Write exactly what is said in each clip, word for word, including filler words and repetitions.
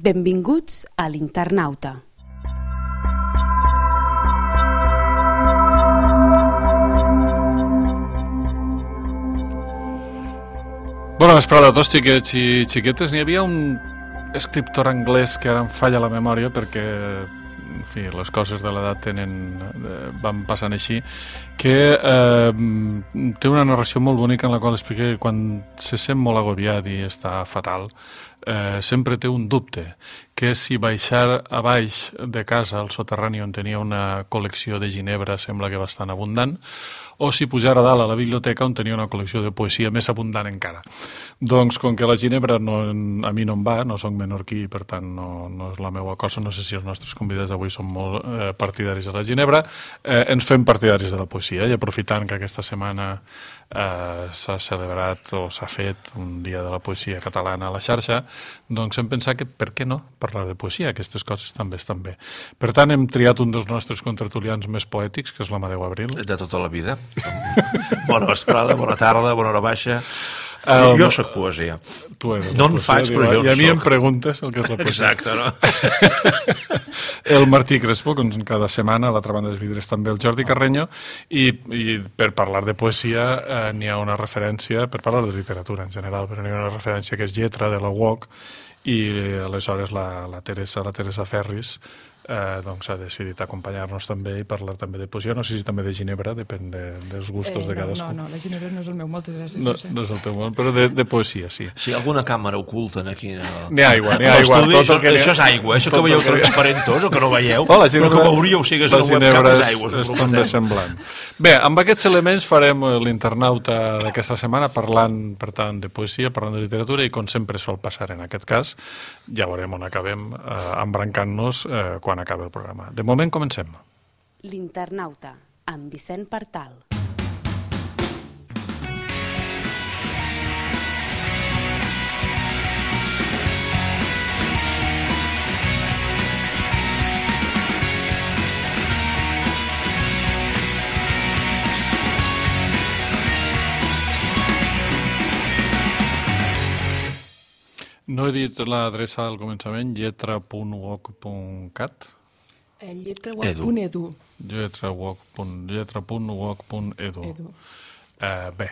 Benvinguts a l'Internauta. Bona vesprada a tots, xiquets i xiquetes. N'hi havia un escriptor anglès que ara em falla la memòria perquè, en fi, les coses de l'edat tenen, van passant així, que eh, té una narració molt bonica en la qual explica que quan se sent molt agobiat i està fatal, eh, sempre té un dubte, que si baixar a baix de casa, al soterrani on tenia una col·lecció de ginebra, sembla que bastant abundant, o si pujar a dalt a la biblioteca on tenia una col·lecció de poesia més abundant encara. Doncs com que la ginebra no, a mi no em va, no soc menorquí, per tant no, no és la meva cosa, no sé si els nostres convidats d'avui són molt eh, partidaris de la ginebra, eh, ens fem partidaris de la poesia i aprofitant que aquesta setmana eh, s'ha celebrat o s'ha fet un dia de la poesia catalana a la xarxa, doncs hem pensat que per què no parlar de poesia, aquestes coses també estan bé. Per tant hem triat un dels nostres contertulians més poètics, que és l'Amadeu Abril. De tota la vida. Bona vesprada, bona tarda, bona hora baixa. El... Jo soc poesia. Tu eres no en poesia, faig, però jo I a mi soc. em preguntes el que és la poesia. Exacte, no? El Martí Crespo, com cada setmana, a l'altra banda dels vidres també el Jordi Carreño, i, i per parlar de poesia eh, n'hi ha una referència, per parlar de literatura en general, però n'hi ha una referència que és Lletra, de la U O C, i aleshores la, la Teresa, la Teresa Ferris, Eh, doncs ha decidit acompanyar-nos també i parlar també de poesia, no sé si també de ginebra, depèn de, dels gustos eh, de cadascú. No, no, la ginebra no és el meu, moltes gràcies. No, no és el teu món, però de, de poesia, sí. Sí, alguna càmera oculta aquí. No? N'hi ha aigua, n'hi ha aigua. Això, que això és aigua, això que veieu transparentós o que no veieu, oh, ginebra, però que veuríeu si hagués una webcam és aigua. És també semblant. Bé, amb aquests elements farem l'internauta d'aquesta setmana parlant, per tant, de poesia, parlant de literatura i com sempre sol passar en aquest cas, ja veurem on acabem eh, embrancant-nos eh, quan acabi el programa. De moment comencem. L'Internauta, amb Vicent Partal. No he dit l'adreça al començament, lletra punt u o c punt cat? lletra punt edu. lletra punt u o c punt edu. Uh, bé,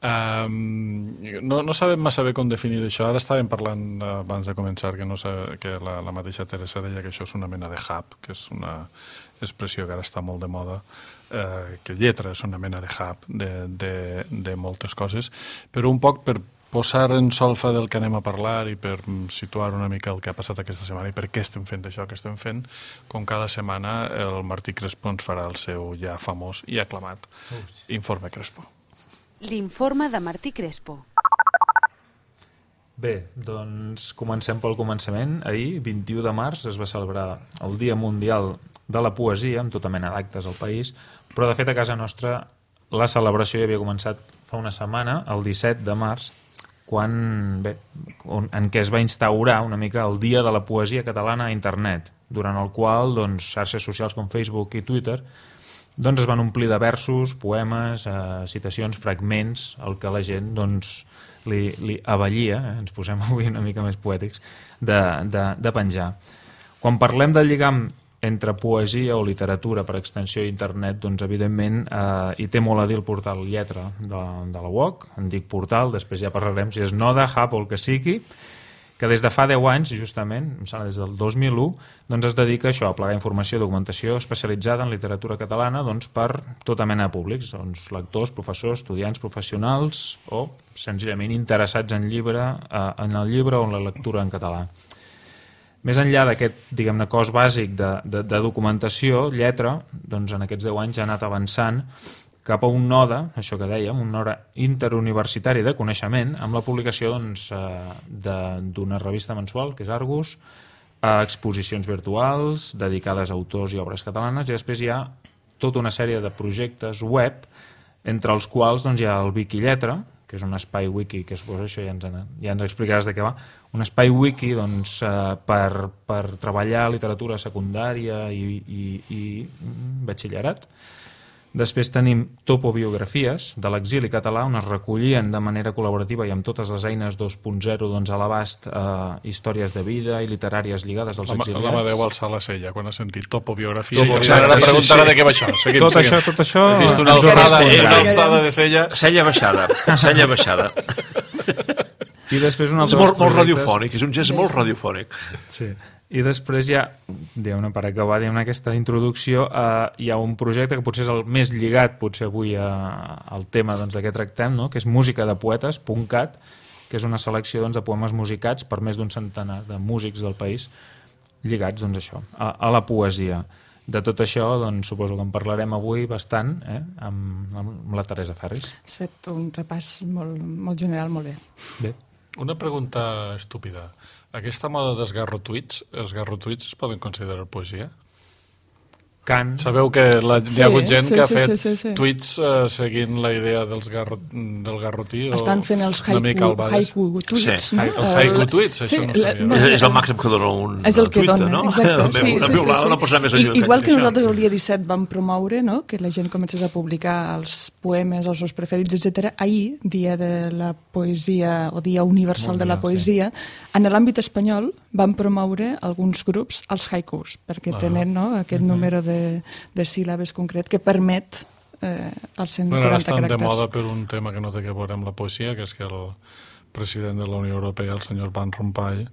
um, no, no sabem massa bé com definir això. Ara estàvem parlant uh, abans de començar que, no sa, que la, la mateixa Teresa deia que això és una mena de hub, que és una expressió que ara està molt de moda, uh, que lletra és una mena de hub de, de, de moltes coses, però un poc per posar en solfa del que anem a parlar i per situar una mica el que ha passat aquesta setmana i per què estem fent això que estem fent, com cada setmana el Martí Crespo ens farà el seu ja famós i aclamat Informe Crespo. L'informe de Martí Crespo. Bé, doncs comencem pel començament. Ahir, vint-i-u de març, es va celebrar el Dia Mundial de la Poesia, amb tota mena d'actes al país, però de fet a casa nostra la celebració ja havia començat fa una setmana, el disset de març, quan, bé, en què es va instaurar una mica el Dia de la Poesia Catalana a internet, durant el qual doncs, xarxes socials com Facebook i Twitter doncs, es van omplir de versos, poemes, eh, citacions, fragments, el que la gent doncs, li, li avallia, eh, ens posem avui una mica més poètics, de, de, de penjar. Quan parlem del lligam entre poesia o literatura per extensió a internet, doncs evidentment eh, hi té molt a dir el portal Lletra de, de la U O C, en dic portal, després ja parlarem si és Node, Hub o el que sigui, que des de fa deu anys, justament, em sembla des del dos mil u, doncs es dedica a això, a plegar informació i documentació especialitzada en literatura catalana doncs, per tota mena de públics, doncs, lectors, professors, estudiants, professionals o senzillament interessats en, llibre, eh, en el llibre o en la lectura en català. Més enllà d'aquest, diguem-ne, cos bàsic de, de, de documentació, Lletra, doncs en aquests deu anys ha anat avançant cap a un node, això que dèiem, un node interuniversitari de coneixement, amb la publicació doncs, d'una revista mensual, que és Argus, a exposicions virtuals dedicades a autors i obres catalanes, i després hi ha tota una sèrie de projectes web, entre els quals doncs, hi ha el Wikilletra, que és un espai wiki, que suposo això ja ens, ja ens explicaràs de què va, un espai wiki doncs, eh, per, per treballar literatura secundària i, i, i batxillerat, Després tenim topobiografies de l'exili català, on es recollien de manera col·laborativa i amb totes les eines dos punt zero doncs, a l'abast eh, històries de vida i literàries lligades als exiliats. L'Amadeu alçar la cella quan ha sentit topobiografia. Topobiografia, I ara sí, preguntarà sí. de què va això. Seguim, Tot seguim. això, tot això... He vist una ens ho alçada, respondrà. una alçada de cella. Sella baixada, sella baixada. I després un És altre molt, dels molt projectes- radiofònic, és un gest molt radiofònic. Sí. I després ja, diguem-ne, per acabar diguem aquesta introducció, eh, hi ha un projecte que potser és el més lligat potser avui a, al tema doncs, de què tractem, no? Que és Música de Poetes, .cat, que és una selecció doncs, de poemes musicats per més d'un centenar de músics del país lligats doncs, això, a, a la poesia. De tot això doncs, suposo que en parlarem avui bastant eh, amb, amb la Teresa Ferris. Has fet un repàs molt, molt general, molt bé. Bé. Una pregunta estúpida. Aquesta moda dels garrotuits, els garrotuits es poden considerar poesia? Cant. Sabeu que la, Sí, hi ha hagut gent sí, que ha sí, fet sí, sí, sí. tuits uh, seguint la idea dels garro, del garrotí? Estan o fent els una mica haiku, al baix? haiku tweets, Sí, no? el haiku tweets, això no la- sabia. És, és el màxim que dona un És el que tuit, dona, no? exacte. Sí, una sí, sí, piulada sí. no pots anar més I, enllà. igual que això. nosaltres el dia disset vam promoure no? que la gent comencés a publicar els poemes, els seus preferits, etcètera. Ahir, dia de la poesia o dia universal de la poesia, en l'àmbit espanyol vam promoure alguns grups els haikus, perquè tenen no? aquest número de, de síl·labes concret que permet eh, els cent Bueno, ara quaranta estan de caràcters. moda per un tema que no té que veure amb la poesia, que és que el president de la Unió Europea, el senyor Van Rompuy,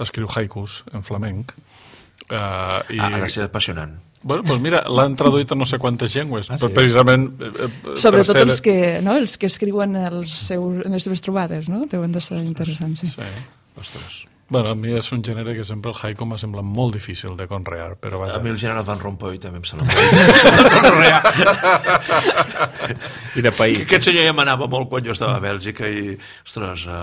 escriu haikus en flamenc. Uh, i... Ah, ha de ser apassionant. Bueno, doncs mira, l'han traduït a no sé quantes llengües, Ah, però sí? precisament... Eh, eh, Sobretot per ser... els que, no? els que escriuen els seus, en les seves trobades, no? Deuen de ser interessants, sí. Sí. Ostres. Bueno, a mi és un gènere que sempre el haiku m'ha semblat molt difícil de conrear, però A vaja. mi el general Van Rompuy també em sembla molt I de país. Aquest senyor ja m'anava molt quan jo estava a Bèlgica i, ostres, eh,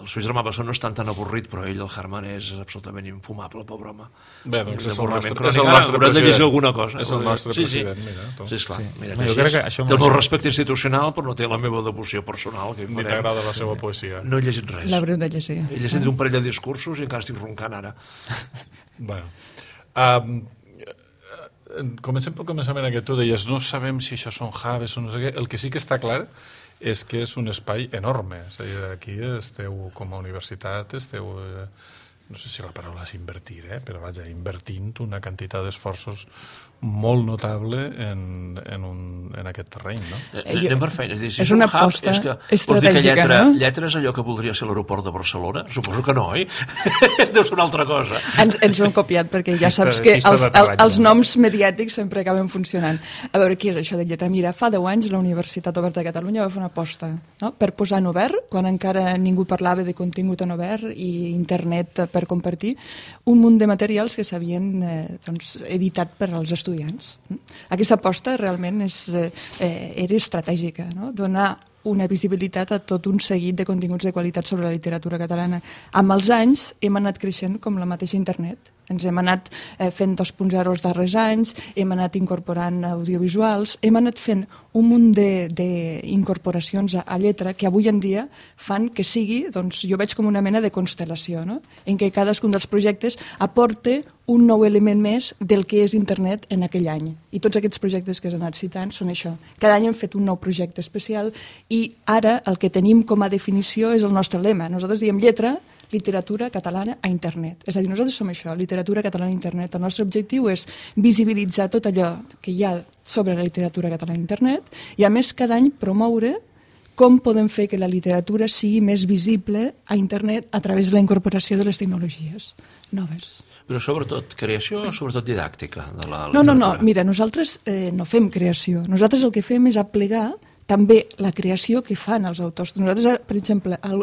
el seu germà Bessó no és tan tan avorrit, però ell, el Herman, és absolutament infumable, pobre home. Bé, doncs és el Avorriment nostre, crònic. és el Ara nostre haurem de llegir president. alguna cosa. És el nostre Sí, sí. president, mira. tu. Sí, esclar. Sí. Mira, Jo jo crec que això té el meu m'ho- respecte institucional, però no té la meva devoció personal. Que hi Ni farem. t'agrada la seva poesia. No he llegit res. L'haurem de llegir. He llegit un parell de discursos i encara estic roncant ara. Bueno. Um, comencem pel començament aquest. Tu deies, no sabem si això són Javes o no sé què. El que sí que està clar és que és un espai enorme. És a dir, aquí esteu, com a universitat, esteu... Eh, no sé si la paraula és invertir, eh? però vaja, invertint una quantitat d'esforços molt notable en, en, un, en aquest terreny, no? Eh, Anem per feina. És, dir, si és una un hub, aposta és que, vols dir que estratègica, lletra, no? lletra és allò que voldria ser l'aeroport de Barcelona? Suposo que no, oi? Deu ser una altra cosa. Ens, ens ho hem copiat perquè ja Pista- saps que pista els, el, d'aterratge. els noms mediàtics sempre acaben funcionant. A veure, què és això de lletra? Mira, fa deu anys la Universitat Oberta de Catalunya va fer una aposta no? per posar en obert, quan encara ningú parlava de contingut en obert i internet per compartir, un munt de materials que s'havien eh, doncs, editat per als estudiants. Aquesta aposta realment és, eh, era estratègica, no? Donar una visibilitat a tot un seguit de continguts de qualitat sobre la literatura catalana. Amb els anys hem anat creixent com la mateixa internet. Ens hem anat eh, fent dos punt zero els darrers anys, hem anat incorporant audiovisuals, hem anat fent un munt d'incorporacions a, a lletra que avui en dia fan que sigui, doncs jo veig com una mena de constel·lació, no? En què cadascun dels projectes aporta un nou element més del que és internet en aquell any. I tots aquests projectes que has anat citant són això. Cada any hem fet un nou projecte especial i ara el que tenim com a definició és el nostre lema. Nosaltres diem lletra, literatura catalana a internet. És a dir, nosaltres som això, literatura catalana a internet. El nostre objectiu és visibilitzar tot allò que hi ha sobre la literatura catalana a internet i, a més, cada any promoure com podem fer que la literatura sigui més visible a internet a través de la incorporació de les tecnologies noves. Però sobretot creació o sobretot didàctica de la No, no, literatura? no, mira, nosaltres eh, no fem creació. Nosaltres el que fem és aplegar també la creació que fan els autors. Nosaltres, per exemple, el,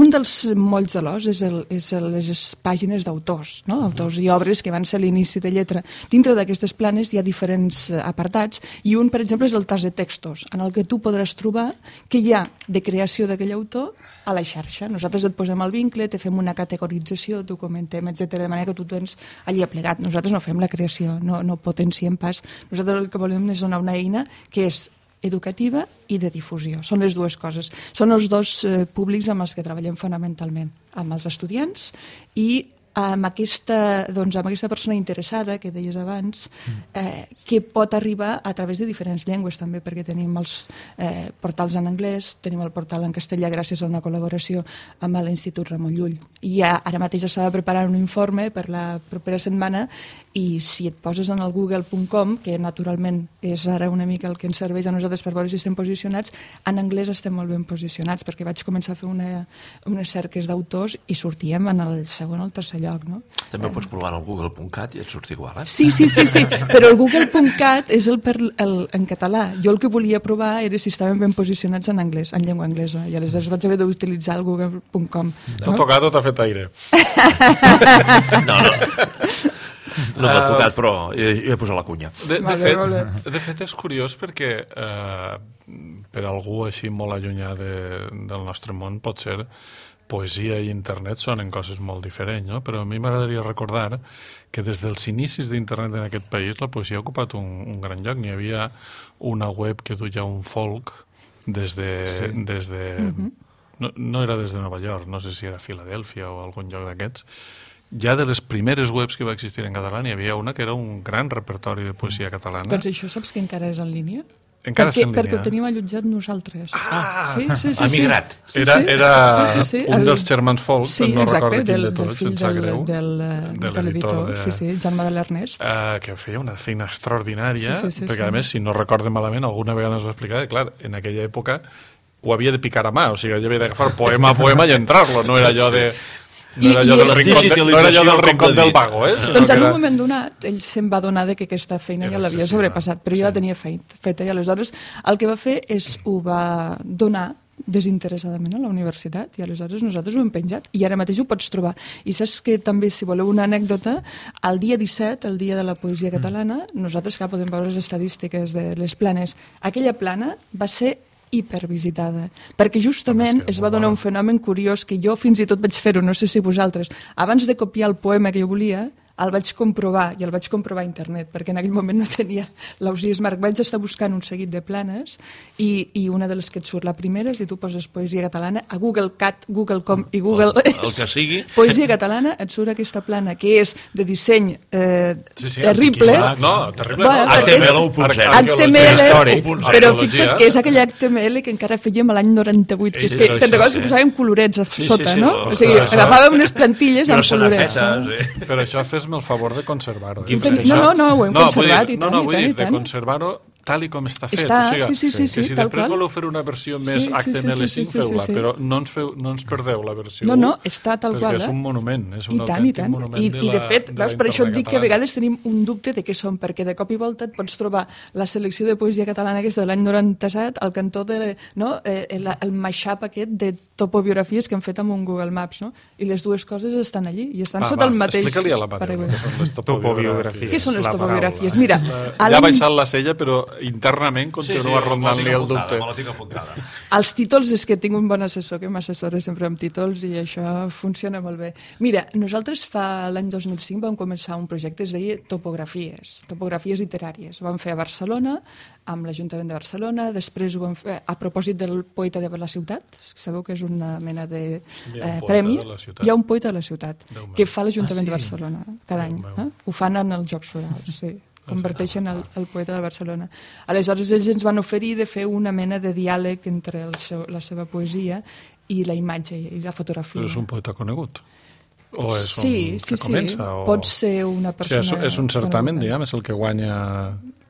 un dels molls de l'os és, el, és el, les pàgines d'autors, no? Autors i obres que van ser l'inici de lletra. Dintre d'aquestes planes hi ha diferents apartats i un, per exemple, és el tas de textos, en el que tu podràs trobar què hi ha de creació d'aquell autor a la xarxa. Nosaltres et posem el vincle, te fem una categorització, documentem, etcètera, de manera que tu tens allí aplegat. Nosaltres no fem la creació, no, no potenciem pas. Nosaltres el que volem és donar una eina que és educativa i de difusió. Són les dues coses. Són els dos eh, públics amb els que treballem fonamentalment, amb els estudiants i amb aquesta, doncs, amb aquesta persona interessada, que deies abans, eh, que pot arribar a través de diferents llengües també, perquè tenim els eh, portals en anglès, tenim el portal en castellà gràcies a una col·laboració amb l'Institut Ramon Llull. I ja, ara mateix estava preparant un informe per la propera setmana i si et poses en el google punt com, que naturalment és ara una mica el que ens serveix a nosaltres per veure si estem posicionats, en anglès estem molt ben posicionats, perquè vaig començar a fer una, unes cerques d'autors i sortíem en el segon o el tercer lloc. No? També ho pots provar al google punt cat i et surt igual, eh? Sí, sí, sí, sí, però el google punt cat és el, per, el en català. Jo el que volia provar era si estaven ben posicionats en anglès, en llengua anglesa, i aleshores vaig haver d'utilitzar el google punt com. T'ha no? tocat o t'ha fet aire? No, no. No m'ha tocat, però he, he posat la cunya. De, de, fet, de fet, és curiós perquè eh, per algú així molt allunyat de, del nostre món, pot ser poesia i internet sonen coses molt diferents, no? Però a mi m'agradaria recordar que des dels inicis d'internet en aquest país la poesia ha ocupat un, un gran lloc. N'hi havia una web que duia un folk des de... Sí. Des de uh-huh. no, no era des de Nova York, no sé si era Filadèlfia o algun lloc d'aquests. Ja de les primeres webs que va existir en català n'hi havia una que era un gran repertori de poesia catalana. Doncs això saps que encara és en línia? Encara perquè, és en línia. Perquè ho tenim allotjat nosaltres. Ah, sí, sí, sí, ha migrat. Sí, era sí, era sí, sí, sí. un el... dels germans Folk, sí, no exacte, recordo quin del, de tots, del fill sense del, greu, del, de de l'editor, de... sí, sí, Jaume de l'Ernest. Uh, que feia una feina extraordinària, sí, sí, sí, perquè sí. a més, si no recordo malament, alguna vegada ens ho explicava, clar, en aquella època ho havia de picar a mà, o sigui, havia d'agafar poema a poema i entrar-lo, no era allò de... No era allò del rincón, de, no era allò del rincón del vago, eh? Doncs en un moment donat, ell se'n va donar de que aquesta feina ja l'havia sobrepassat, però ja la tenia feta, i aleshores el que va fer és ho va donar desinteressadament a la universitat i aleshores nosaltres ho hem penjat i ara mateix ho pots trobar. I saps que també, si voleu una anècdota, el dia disset, el dia de la poesia catalana, nosaltres que podem veure les estadístiques de les planes, aquella plana va ser hipervisitada, perquè justament es va donar un fenomen curiós que jo fins i tot vaig fer-ho, no sé si vosaltres, abans de copiar el poema que jo volia, el vaig comprovar, i el vaig comprovar a internet, perquè en aquell moment no tenia l'Ausiàs Smart. Vaig estar buscant un seguit de planes, i, i una de les que et surt, la primera, si tu poses poesia catalana, a Google Cat, Google Com i Google... El, el que sigui. Poesia catalana, et surt aquesta plana, que és de disseny eh, sí, sí, terrible. No, terrible bueno, no. H T M L u punt zero. H T M L, però arqueologia. Fixa't que és aquell H T M L que encara fèiem l'any noranta-vuit, que és que, te'n recordes que posàvem colorets a sota, no? O sigui, agafàvem unes plantilles amb colorets. Però això fes-me el favor de conservar-ho. No, no, no, ho hem conservat i tant, no, no, i vull tant, dir, i tant. de conservar-ho tal i com està fet. Està, o sigui, sí, sí, sí, que sí, si tal després qual. voleu fer una versió més Sí, sí, H T M L cinc, sí, sí, sí, feu-la, sí, sí. però no ens, feu, no ens perdeu la versió No, no, està tal perquè qual. és un monument, és un I tant, i autèntic tant. monument I, de i la, de fet, de veus, la per això et dic que a catalana. vegades tenim un dubte de què són, perquè de cop i volta et pots trobar la selecció de poesia catalana aquesta de l'any noranta-set al cantó de, no, eh, el, el mashup aquest de topobiografies que han fet amb un Google Maps, no? I les dues coses estan allí, i estan Va, sota va, el mateix... explica-li a la Mateu què són les topobiografies. Què són les La topobiografies? paraula. Mira, a Ja ha l'any- baixat la cella, però internament continua rondant-li el dubte. Me la tinc apuntada. Els títols, és que tinc un bon assessor que m'assessora sempre amb títols i això funciona molt bé. Mira, nosaltres fa l'any dos mil cinc vam començar un projecte, es deia Topografies, Topografies literàries. Ho vam fer a Barcelona, amb l'Ajuntament de Barcelona, després ho vam fer a propòsit del poeta de la ciutat, sabeu que és una mena de Hi ha un eh, poeta premi. de la ciutat. Hi ha un poeta de la ciutat, Déu meu. que fa l'Ajuntament Ah, sí? de Barcelona cada any. Déu meu. Eh? Ho fan en els Jocs Florals, sí. Converteixen el, el poeta de Barcelona. Aleshores, ells ens van oferir de fer una mena de diàleg entre el seu, la seva poesia i la imatge i la fotografia. Però és un poeta conegut? O és sí, un sí, que comença? sí. O... Pot ser una O sigui, persona... és, és un certamen, coneguda. diguem, és el que guanya...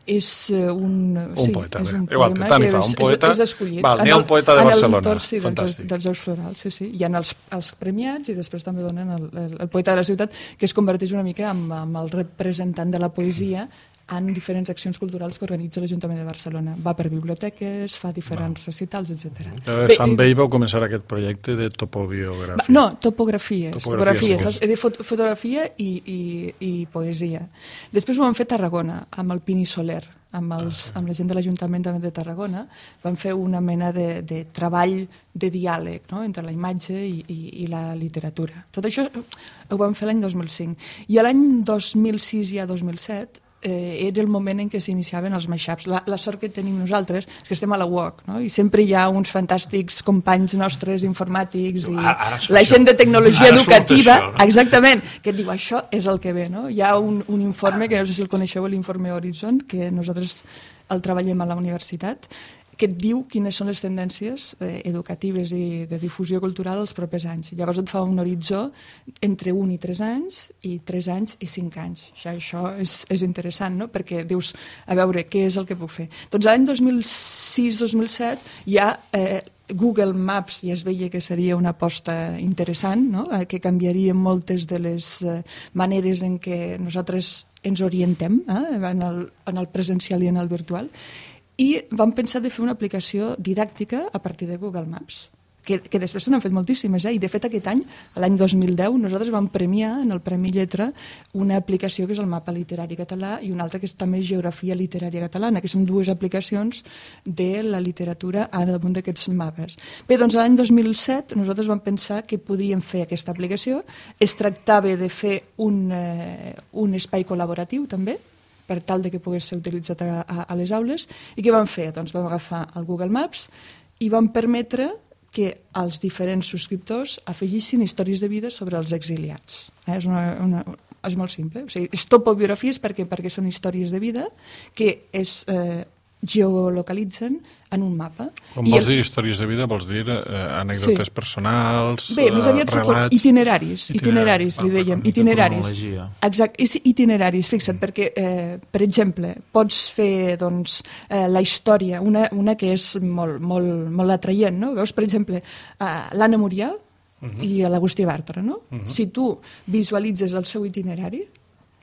És eh, un... Un sí, poeta, és bé. un Igual, poema tant hi que fa, és, un poeta- És, és escollit. Val, n'hi ha En un poeta de en Barcelona. el torn, sí, dels, Fantàstic. dels Jocs Florals, sí, sí. Hi ha els, els premiats i després també donen el, el, el poeta de la ciutat, que es converteix una mica en, en el representant de la poesia en diferents accions culturals que organitza l'Ajuntament de Barcelona. Va per biblioteques, fa diferents recitals, etcètera. Llavors, amb ell vau començar aquest projecte de topobiografia. No, topografies. Topografies, topografies sí. saps? De fot fotografia i, i, i poesia. Després ho vam fer a Tarragona, amb el Pini Soler, amb, els, Ah, amb la gent de l'Ajuntament també de Tarragona. Vam fer una mena de, de treball de diàleg, no?, entre la imatge i, i, i la literatura. Tot això ho vam fer l'any dos mil cinc. I l'any dos mil sis i a dos mil set eh, era el moment en què s'iniciaven els mashups. La, la sort que tenim nosaltres és que estem a la U O C, no? I sempre hi ha uns fantàstics companys nostres informàtics i Ara, ara la gent de tecnologia ara surt educativa, això, no? exactament, que et diu això és el que ve. No? Hi ha un, un informe, que no sé si el coneixeu, l'informe Horizon, que nosaltres el treballem a la universitat, que et diu quines són les tendències eh, educatives i de difusió cultural els propers anys. Llavors et fa un horitzó entre un i tres anys i tres anys i cinc anys. Això, això és, és interessant, no? Perquè dius, a veure, què és el que puc fer? Doncs l'any dos mil sis dos mil set ja eh, Google Maps ja es veia que seria una aposta interessant, no? eh, que canviaria moltes de les eh, maneres en què nosaltres ens orientem eh, en, el, en el presencial i en el virtual, i vam pensar de fer una aplicació didàctica a partir de Google Maps, que, que després se n'han fet moltíssimes, eh? I de fet aquest any, l'any dos mil deu, nosaltres vam premiar en el Premi Lletra una aplicació que és el Mapa Literari Català i una altra que és també Geografia Literària Catalana, que són dues aplicacions de la literatura al damunt d'aquests mapes. Bé, doncs l'any dos mil set nosaltres vam pensar que podíem fer aquesta aplicació. Es tractava de fer un, eh, un espai col·laboratiu també, per tal de que pogués ser utilitzat a, a, a les aules. I què vam fer? Doncs vam agafar el Google Maps i vam permetre que els diferents subscriptors afegissin històries de vida sobre els exiliats. Eh? És, una, una, és molt simple. O sigui, és topobiografies perquè, perquè són històries de vida que es eh, geolocalitzen en un mapa. Quan I vols el... dir històries de vida, vols dir eh, anècdotes Sí. personals, Bé, més aviat relats... itineraris, itineraris, li Ah, dèiem, una mica itineraris. cronologia. Exacte, és itineraris, fixa't, perquè, eh, per exemple, pots fer doncs, eh, la història, una, una que és molt, molt, molt atraient, no? Veus, per exemple, eh, l'Anna Muriel uh -huh. i l'Agustí Bartra, no? Uh -huh. Si tu visualitzes el seu itinerari,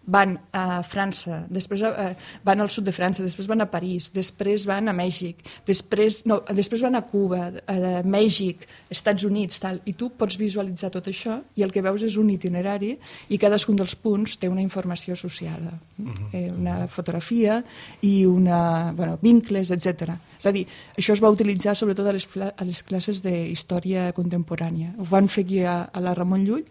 van a França, després eh, van al sud de França, després van a París, després van a Mèxic, després, no, després van a Cuba, a Mèxic, Estats Units, tal, i tu pots visualitzar tot això i el que veus és un itinerari i cadascun dels punts té una informació associada, uh-huh. eh, una fotografia i una, bueno, vincles, etcètera. És a dir, això es va utilitzar sobretot a les, a les classes d'història contemporània. Ho van fer aquí a, a la Ramon Llull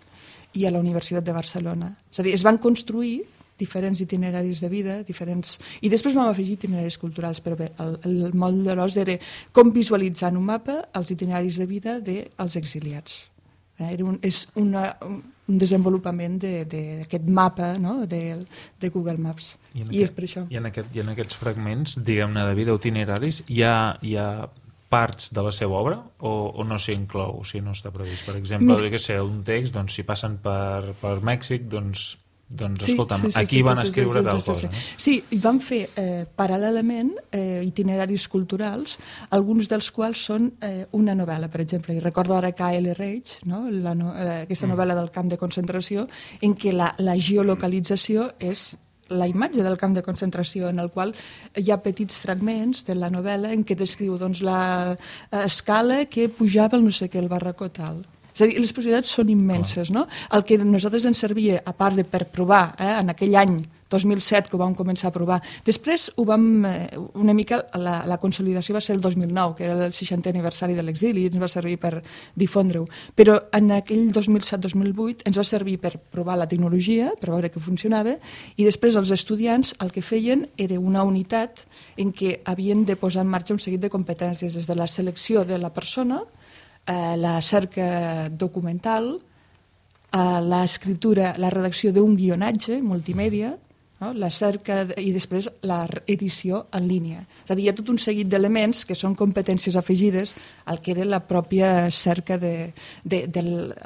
i a la Universitat de Barcelona. És a dir, es van construir diferents itineraris de vida, diferents... I després vam afegir itineraris culturals, però bé, el, el moll de l'os era com visualitzar en un mapa els itineraris de vida dels exiliats. Eh, era un, és una, un desenvolupament d'aquest de, mapa, no?, de, de Google Maps. I, en I aquest, és per això. I en, aquest, i en aquests fragments, diguem-ne, de vida o itineraris, hi ha... Hi ha parts de la seva obra o, o no s'hi inclou, o si no està previst? Per exemple, Mira. que sé, un text, doncs, si passen per, per Mèxic, doncs, doncs sí, escolta'm, sí, sí, aquí sí, van sí, escriure sí, sí, tal sí, cosa. Sí, sí. sí, i van fer eh, paral·lelament eh, itineraris culturals, alguns dels quals són eh, una novel·la, per exemple, i recordo ara K L. Reich, no? la no, eh, aquesta novel·la del camp de concentració, en què la, la geolocalització és la imatge del camp de concentració, en el qual hi ha petits fragments de la novel·la en què descriu doncs, l'escala que pujava el no sé què, el barracó tal. És a dir, les possibilitats són immenses, no? El que a nosaltres ens servia, a part de per provar, eh, en aquell any dos mil set que ho vam començar a provar, després ho vam, eh, una mica, la, la consolidació va ser el dos mil nou, que era el seixantè aniversari de l'exili, i ens va servir per difondre-ho. Però en aquell dos mil set dos mil vuit ens va servir per provar la tecnologia, per veure que funcionava, i després els estudiants el que feien era una unitat en què havien de posar en marxa un seguit de competències, des de la selecció de la persona, eh, la cerca documental, eh, l'escriptura, la redacció d'un guionatge multimèdia, no? La cerca i després l'edició en línia. És a dir, hi ha tot un seguit d'elements que són competències afegides al que era la pròpia cerca de, de, de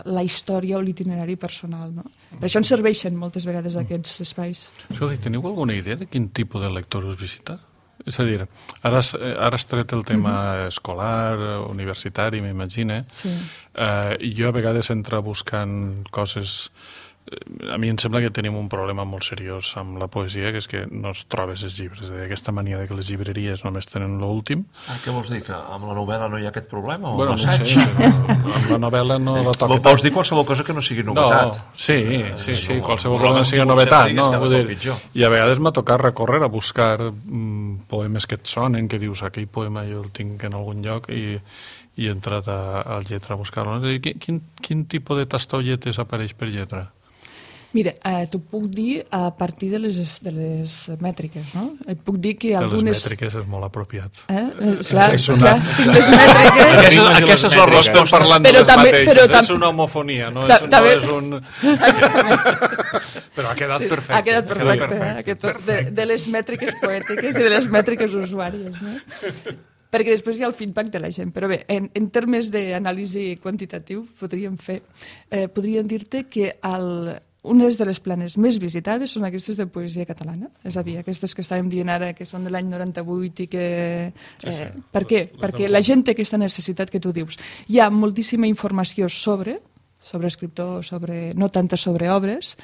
la història o l'itinerari personal. No? Per això ens serveixen moltes vegades aquests espais. Escolta, teniu alguna idea de quin tipus de lector us visita? És a dir, ara has, ara has tret el tema uh-huh. escolar, universitari, m'imagina. Sí. Eh, jo a vegades entro buscant coses... A mi em sembla que tenim un problema molt seriós amb la poesia, que és que no es trobes els llibres. És a dir, aquesta mania de que les llibreries només tenen l'últim. Ah, què vols dir? Que amb la novel·la no hi ha aquest problema? O Bueno, no assaig? sé, però amb la novel·la no la toca. Vols dir qualsevol cosa que no sigui novetat? No, sí, sí, sí, no, qualsevol no, cosa que no, sigui no, novetat. no, No, no, vull dir, pitjor. I a vegades m'ha tocat recórrer a buscar mm, poemes que et sonen, que dius, aquell poema jo el tinc en algun lloc, i, i he entrat a, a lletra a buscar-lo. Quin, quin, quin tipus de tastolletes apareix per lletra? Mira, eh, t'ho puc dir a partir de les, de les mètriques, no? Et puc dir que De algunes... les mètriques és molt apropiat. Eh? Eh, clar, Ens ha clar, tinc les mètriques... Aquesta, aquesta és la mètriques. resposta parlant Però de les també- mateixes. però tam- És una homofonia, no Ta- és, no també- és un... Però ha quedat Sí, perfecte. ha quedat perfecte, perfecte, eh? Aquest, de, de les mètriques poètiques i de les mètriques usuàries, no? Perquè després hi ha el feedback de la gent. Però bé, en, en termes d'anàlisi quantitatiu, podríem fer, eh, podríem dir-te que el, unes de les planes més visitades són aquestes de poesia catalana, és a dir, aquestes que estàvem dient ara que són de l'any noranta-vuit i que... Eh, Sí, sí. Per què? Les Perquè del la fons. gent té aquesta necessitat que tu dius. Hi ha moltíssima informació sobre, sobre escriptor, sobre, no tanta sobre obres,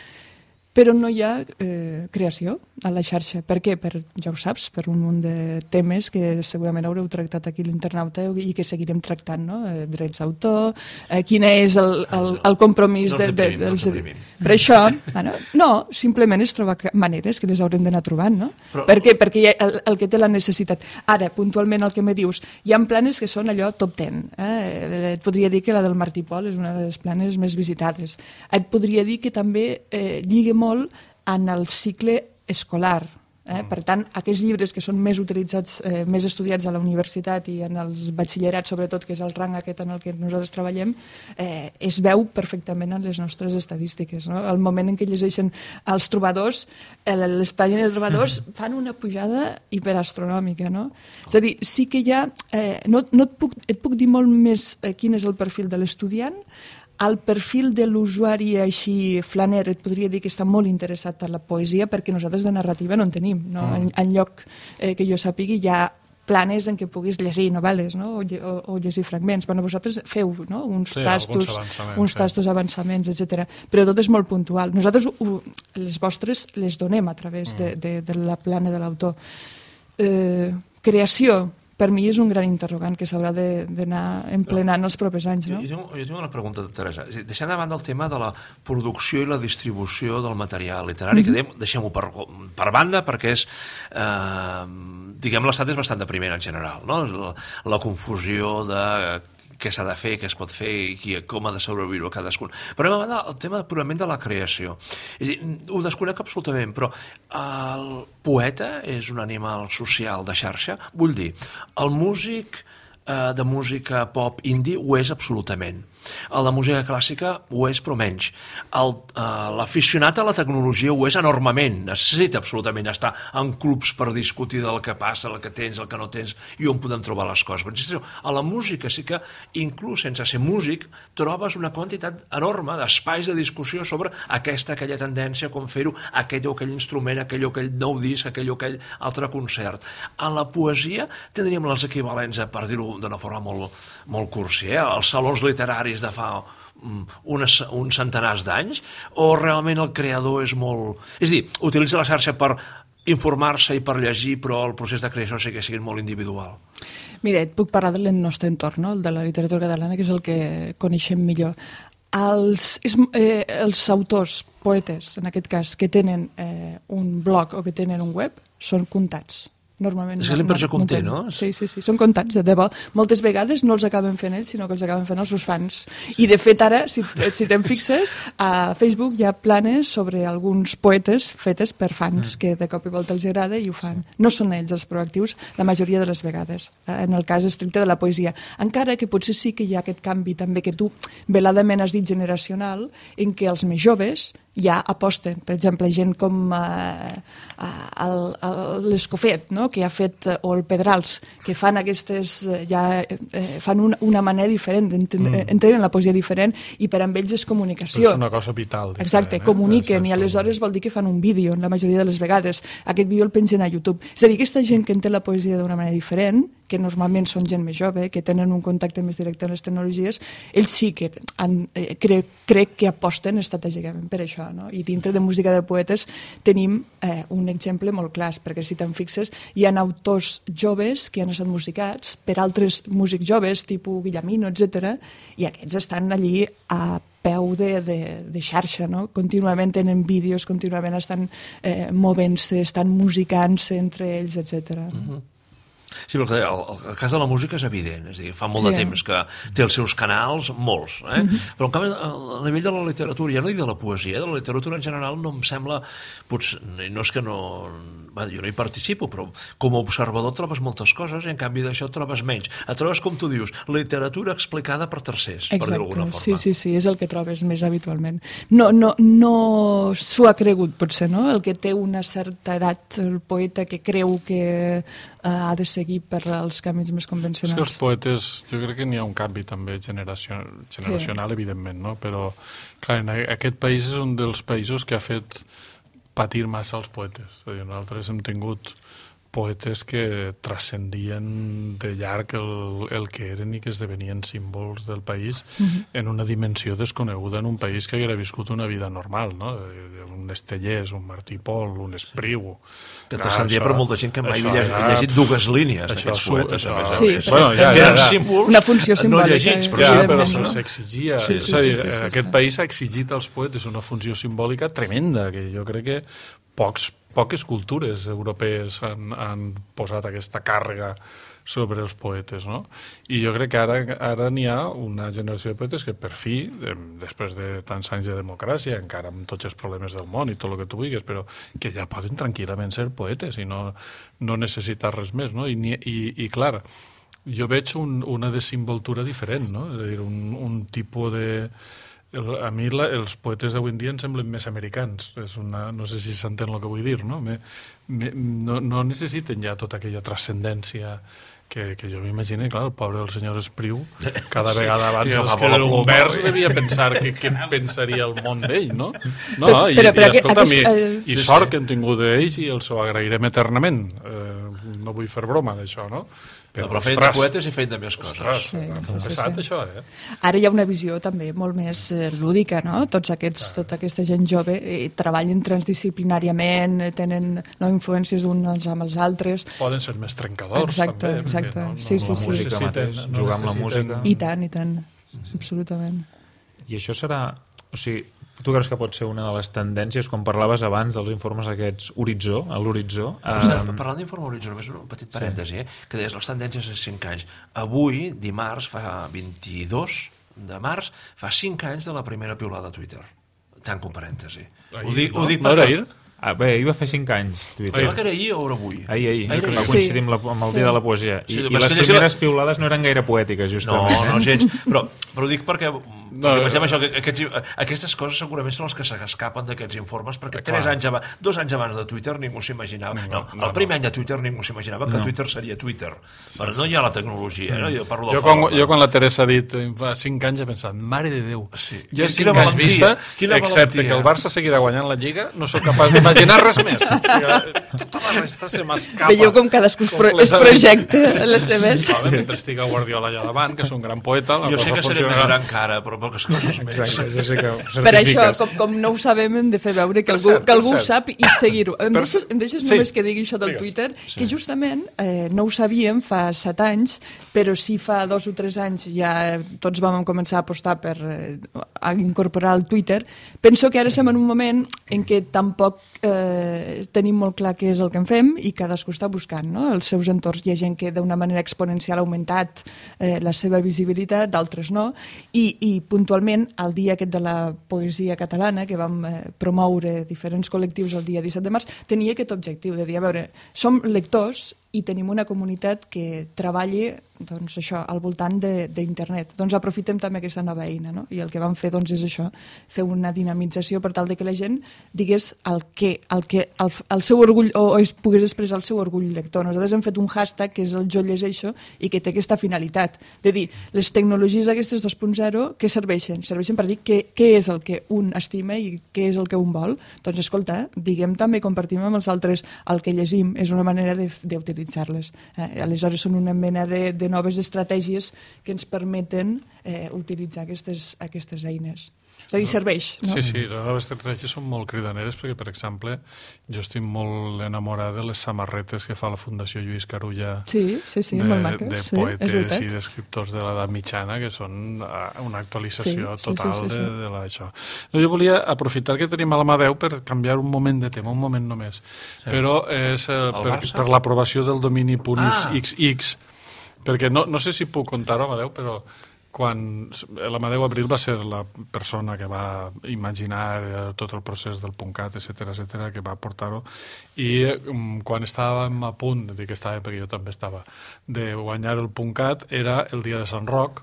però no hi ha eh, creació a la xarxa. Per què? Per, ja ho saps, per un munt de temes que segurament haureu tractat aquí a l'internauta i que seguirem tractant, no? Eh, drets d'autor, eh, quin és el, el, el compromís No de, ens de, deprimim, no ens dels... deprimim. Per això, bueno, no, simplement és trobar ca- maneres que les haurem d'anar trobant, no? Però- Per què? Perquè hi ha el, el que té la necessitat. Ara, puntualment, el que me dius, hi ha planes que són allò top ten. Eh? Et podria dir que la del Martí Pol és una de les planes més visitades. Et podria dir que també eh, lliga molt en el cicle escolar. Eh? Per tant, aquests llibres que són més utilitzats, eh, més estudiats a la universitat i en els batxillerats, sobretot, que és el rang aquest en el que nosaltres treballem, eh, es veu perfectament en les nostres estadístiques. No? Al moment en què llegeixen els trobadors, eh, les pàgines de trobadors fan una pujada hiperastronòmica. No? És a dir, sí que hi ha... Eh, no, no et, puc, et puc dir molt més eh, quin és el perfil de l'estudiant. El perfil de l'usuari així flaner et podria dir que està molt interessat per la poesia perquè nosaltres de narrativa no en tenim. No? En, en lloc eh, que jo sàpigui hi ha planes en què puguis llegir novel·les, no? o, lle- o, o llegir fragments. Bueno, vosaltres feu, no? uns Sí, tastos, alguns avançaments, uns sí. tastos avançaments, etcètera. Però tot és molt puntual. Nosaltres ho, les vostres les donem a través de, de, de la plana de l'autor. Eh, creació, per mi és un gran interrogant que s'haurà de- d'anar emplenant els propers anys. Jo, No? jo, tinc, jo tinc una pregunta, Teresa. És a dir, deixant de banda el tema de la producció i la distribució del material literari, que dèiem, deixem-ho per, per banda, perquè és, eh, diguem, l'estat és bastant depriment en general, no? La, la confusió de què s'ha de fer, què es pot fer i qui, com ha de sobreviure cadascun. Però a banda, el tema purament de la creació. És a dir, ho desconec absolutament, però el poeta és un animal social de xarxa? Vull dir, el músic eh, de música pop indie ho és absolutament. El de música clàssica ho és, però menys. El, eh, l'aficionat a la tecnologia ho és enormement. Necessita absolutament estar en clubs per discutir del que passa, el que tens, el que no tens, i on podem trobar les coses. Però, a la música sí que, inclús sense ser músic, trobes una quantitat enorme d'espais de discussió sobre aquesta, aquella tendència, com fer-ho, aquell o aquell instrument, aquell o aquell nou disc, aquell o aquell altre concert. A la poesia tindríem els equivalents, per dir-ho d'una forma molt, molt cursi, eh? Els salons literaris de fa unes, uns centenars d'anys, o realment el creador és molt... És a dir, utilitza la xarxa per informar-se i per llegir, però el procés de creació sí que sigui molt individual. Mira, et puc parlar del nostre entorn, no? El de la literatura catalana, que és el que coneixem millor. Els, és, eh, els autors, poetes, en aquest cas, que tenen eh, un blog o que tenen un web, són comptats. Normalment És l'impressió que en té, tenen. no? Sí, sí, sí, són comptats, de debò. Moltes vegades no els acaben fent ells, sinó que els acaben fent els seus fans. I, de fet, ara, si, si te'n fixes, a Facebook hi ha planes sobre alguns poetes fetes per fans, mm. que de cop i volta els agrada i ho fan. Sí. No són ells els proactius la majoria de les vegades, eh, en el cas estricte de la poesia. Encara que potser sí que hi ha aquest canvi també que tu veladament has dit generacional, en què els més joves ja aposten. Per exemple, gent com eh, l'Escofet, no? Que ha fet, o el Pedrals, que fan aquestes, ja eh, fan una, una manera diferent, entenen, mm. entenen la poesia diferent, i per amb ells és comunicació. És una cosa vital. Exacte, diferent, comuniquen, eh? i aleshores vol dir que fan un vídeo, la majoria de les vegades. Aquest vídeo el pengen a YouTube. És a dir, aquesta gent que entén la poesia d'una manera diferent, que normalment són gent més jove, que tenen un contacte més directe amb les tecnologies, ells sí que han, eh, crec, crec que aposten estratègicament per això. No? I dintre de música de poetes tenim eh, un exemple molt clar, perquè si te'n fixes, hi ha autors joves que han estat musicats per altres músics joves, tipus Guillamino, etcètera, i aquests estan allí a peu de, de, de xarxa, no? Contínuament tenen vídeos, contínuament estan eh, movent-se, estan musicant-se entre ells, etcètera. Uh-huh. Sí, però el, el, el cas de la música és evident, és a dir, fa molt sí. de temps que té els seus canals, molts, eh? Mm-hmm. Però en canvi, a nivell de la literatura, ja no dic de la poesia, de la literatura en general no em sembla, potser, no és que no, va, jo no hi participo, però com a observador trobes moltes coses i en canvi d'això trobes menys. Et trobes, com tu dius, literatura explicada per tercers, exacte, per dir-ho d'alguna forma. Sí, sí, sí, és el que trobes més habitualment. No, no, no s'ho ha cregut, potser, no? El que té una certa edat, el poeta que creu que ha de seguir per als camins més convencionals. És que els poetes, jo crec que n'hi ha un canvi també generació, generacional, sí. evidentment, no? Però, clar, en aquest país és un dels països que ha fet patir massa els poetes. És a dir, nosaltres hem tingut poetes que transcendien de llarg el, el que eren i que esdevenien símbols del país uh-huh. en una dimensió desconeguda en un país que haguera viscut una vida normal, no? Un Estellés, un Martí Pol, un Espriu... Que transcendia per molta gent que mai havia era... llegit dues línies d'aquests poetes. Això, això, sí, bueno, ja, ja, ja. símbols, una funció simbòlica. No llegits, però, ja, sí, però se'ls exigia. Sí, sí, és a dir, sí, sí, sí, sí, aquest sí. país ha exigit als poetes una funció simbòlica tremenda, que jo crec que pocs, poques cultures europees han, han posat aquesta càrrega sobre els poetes, no? I jo crec que ara ara n'hi ha una generació de poetes que per fi, després de tants anys de democràcia, encara amb tots els problemes del món i tot el que tu vulguis, però que ja poden tranquil·lament ser poetes i no, no necessitar res més, no? I, i, i clar, jo veig un, una desimboltura diferent, no? És a dir, un, un tipus de... El, a mi la, els poetes d'avui en dia em semblen més americans. És una, no sé si s'entén el que vull dir, no? Me, me, no, no necessiten ja tota aquella transcendència que, que jo m'imagino, clar, el pobre del senyor Espriu, cada vegada abans sí, d'escriure un vers devia pensar que què pensaria el món d'ell, no? No, però, i, però, però i escolta, aquest, i, uh, i sort que hem tingut d'ells i els ho agrairem eternament. Eh, no vull fer broma d'això, no? Però, però feien de poetes i feien de més coses. Ostres, sí, sí, sí, pesat, sí. això, eh? Ara hi ha una visió també molt més eh, lúdica, no? Tots aquests, tota aquesta gent jove eh, treballen transdisciplinàriament, eh, tenen no, influències uns amb els altres. Poden ser més trencadors, exacte, també. Exacte, No, no, sí, sí, la sí. música sí. mateix, No jugar amb la música. I tant, i tant, absolutament. I això serà... O sigui, tu creus que pot ser una de les tendències, quan parlaves abans dels informes aquests Horitzó, a l'Horitzó... Um... Parlant d'informe Horitzó, només un petit parèntesi, sí. eh? Que deies les tendències a cinc anys. Avui, dimarts, fa vint-i-dos de març, fa cinc anys de la primera piulada a Twitter. Tanco un parèntesi. Ahir, ho dic, no? ho dic no perquè... era ahir? Ah, bé, ahir va fer cinc anys, Twitter. Sembla que era ahir o era avui? Ahir, ahir, ahir, va ahir. coincidir Sí. amb, la, amb el Sí. dia de la poesia. I, Sí, i però és les que llegir primeres la- piulades no eren gaire poètiques, No, justament. no, eh? gens. Però, però ho dic perquè, No, perquè pensem això, que aquests, aquestes coses segurament són les que s'escapen d'aquests informes, perquè Eh, tres clar. anys abans, dos anys abans de Twitter ningú s'imaginava... No, No, no, el primer no. any de Twitter ningú s'imaginava que No. Twitter seria Twitter. Però no hi ha la tecnologia, no? Jo parlo del Jo quan, fora, jo quan la Teresa ha dit eh, fa cinc anys he pensat, mare de Déu, Sí. jo Quina cinc anys valentia, vista, quina excepte valentia. que el Barça seguirà guanyant la Lliga, no sóc capaç d'imaginar res més. O sigui, tota la resta se m'escapa. Veieu com cadascú es, pro es projecta les seves... Sí. Mentre estigui Guardiola allà davant, que és un gran poeta, la Jo sé cosa que seré més funcionarà. gran que ara, però poques coses més. Exacte, jo sé que ho Per això, certifiques. com, com no ho sabem, hem de fer veure que Per algú, cert, que algú per ho cert. sap i seguir-ho. Em, Per deixes, cert. em deixes Sí. només que digui això del Digues. Twitter, que justament eh, no ho sabíem fa set anys, però sí fa dos o tres anys ja tots vam començar a apostar per eh, a incorporar el Twitter. Penso que ara estem en un moment en què tampoc eh, tenim molt clar què és el que en fem i cadascú està buscant, no? Els seus entorns. Hi ha gent que d'una manera exponencial ha augmentat eh, la seva visibilitat, d'altres no, i, i puntualment el dia aquest de la poesia catalana, que vam eh, promoure diferents col·lectius el dia disset de març, tenia aquest objectiu de dir, a veure, som lectors i tenim una comunitat que treballi doncs, això, al voltant d'internet. Doncs aprofitem també aquesta nova eina, no? I el que vam fer doncs, és això, fer una dinamització per tal de que la gent digués el que, el, que, el, el seu orgull, o, o es pogués expressar el seu orgull lector. Nosaltres hem fet un hashtag que és el Jo llegeixo i que té aquesta finalitat, de dir, les tecnologies aquestes dos punt zero, què serveixen? Serveixen per dir què, què és el que un estima i què és el que un vol. Doncs escolta, diguem també, compartim amb els altres el que llegim, és una manera d'utilitzar-les. Eh, aleshores són una mena de, de noves estratègies que ens permeten eh, utilitzar aquestes, aquestes eines. És a dir, serveix, no? Sí, sí, les noves tecnologies són molt cridaneres perquè, per exemple, jo estic molt enamorat de les samarretes que fa la Fundació Lluís Carulla Sí, sí, sí, de, molt maques. de sí, poetes i d'escriptors de l'edat mitjana que són una actualització Sí, sí, total sí, sí, sí. de, de l'això. No, jo volia aprofitar que tenim a la mà Déu per canviar un moment de tema, un moment només. Sí. Però és eh, per, per l'aprovació del domini .xx, perquè no, no sé si puc contar-ho, Amadeu, però quan l'Amadeu Abril va ser la persona que va imaginar tot el procés del PUNCAT, etcètera, etcètera, que va portar-ho, i quan estàvem a punt, dic que estava perquè jo també estava, de guanyar el PUNCAT, era el dia de Sant Roc,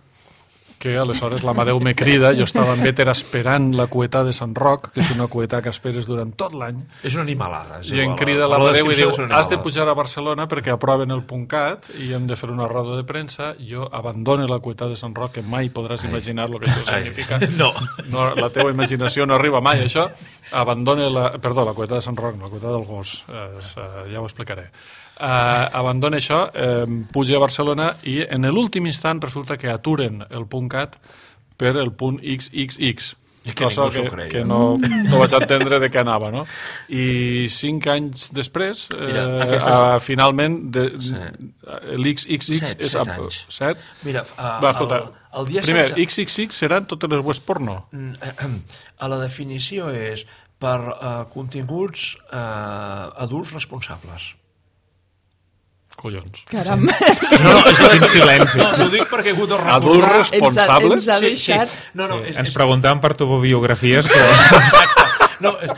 que aleshores l'Amadeu me crida, jo estava en Bétera esperant la cuetà de Sant Roc, que és una cuetà que esperes durant tot l'any. És una animalada. És I em igual, crida la, l'Amadeu i diu, la has de pujar a Barcelona perquè aproven el PUNCAT i hem de fer una roda de premsa. Jo abandono la cuetà de Sant Roc, que mai podràs Ai. imaginar el que això Ai. significa. No. no. La teva imaginació no arriba mai a això. Abandone la... Perdó, la cuetà de Sant Roc, no, la cuetà del Gos. Eh, ja ho explicaré. Uh, abandona això, eh, puja a Barcelona i en l'últim instant resulta que aturen el PUNCAT per el punt X X X. I que cosa ningú que, que no, no vaig entendre de què anava, no? I cinc anys després, Mira, eh, aquestes... uh, finalment, de, sí. l'X X X set, és... set anys. Set? Mira, uh, Va, escolta, el, el dia primer, setze... X X X seran totes les webs porno? A la definició és per uh, continguts uh, adults responsables. Collons. Caram. Sí. No, no, és Quin silenci. No, no ho dic perquè he hagut de recordar... Adults responsables? Ens ha, ens ha deixat... Sí, sí. No, no, és, Ens és... preguntàvem per tubobiografies, però... Exacte. No, és,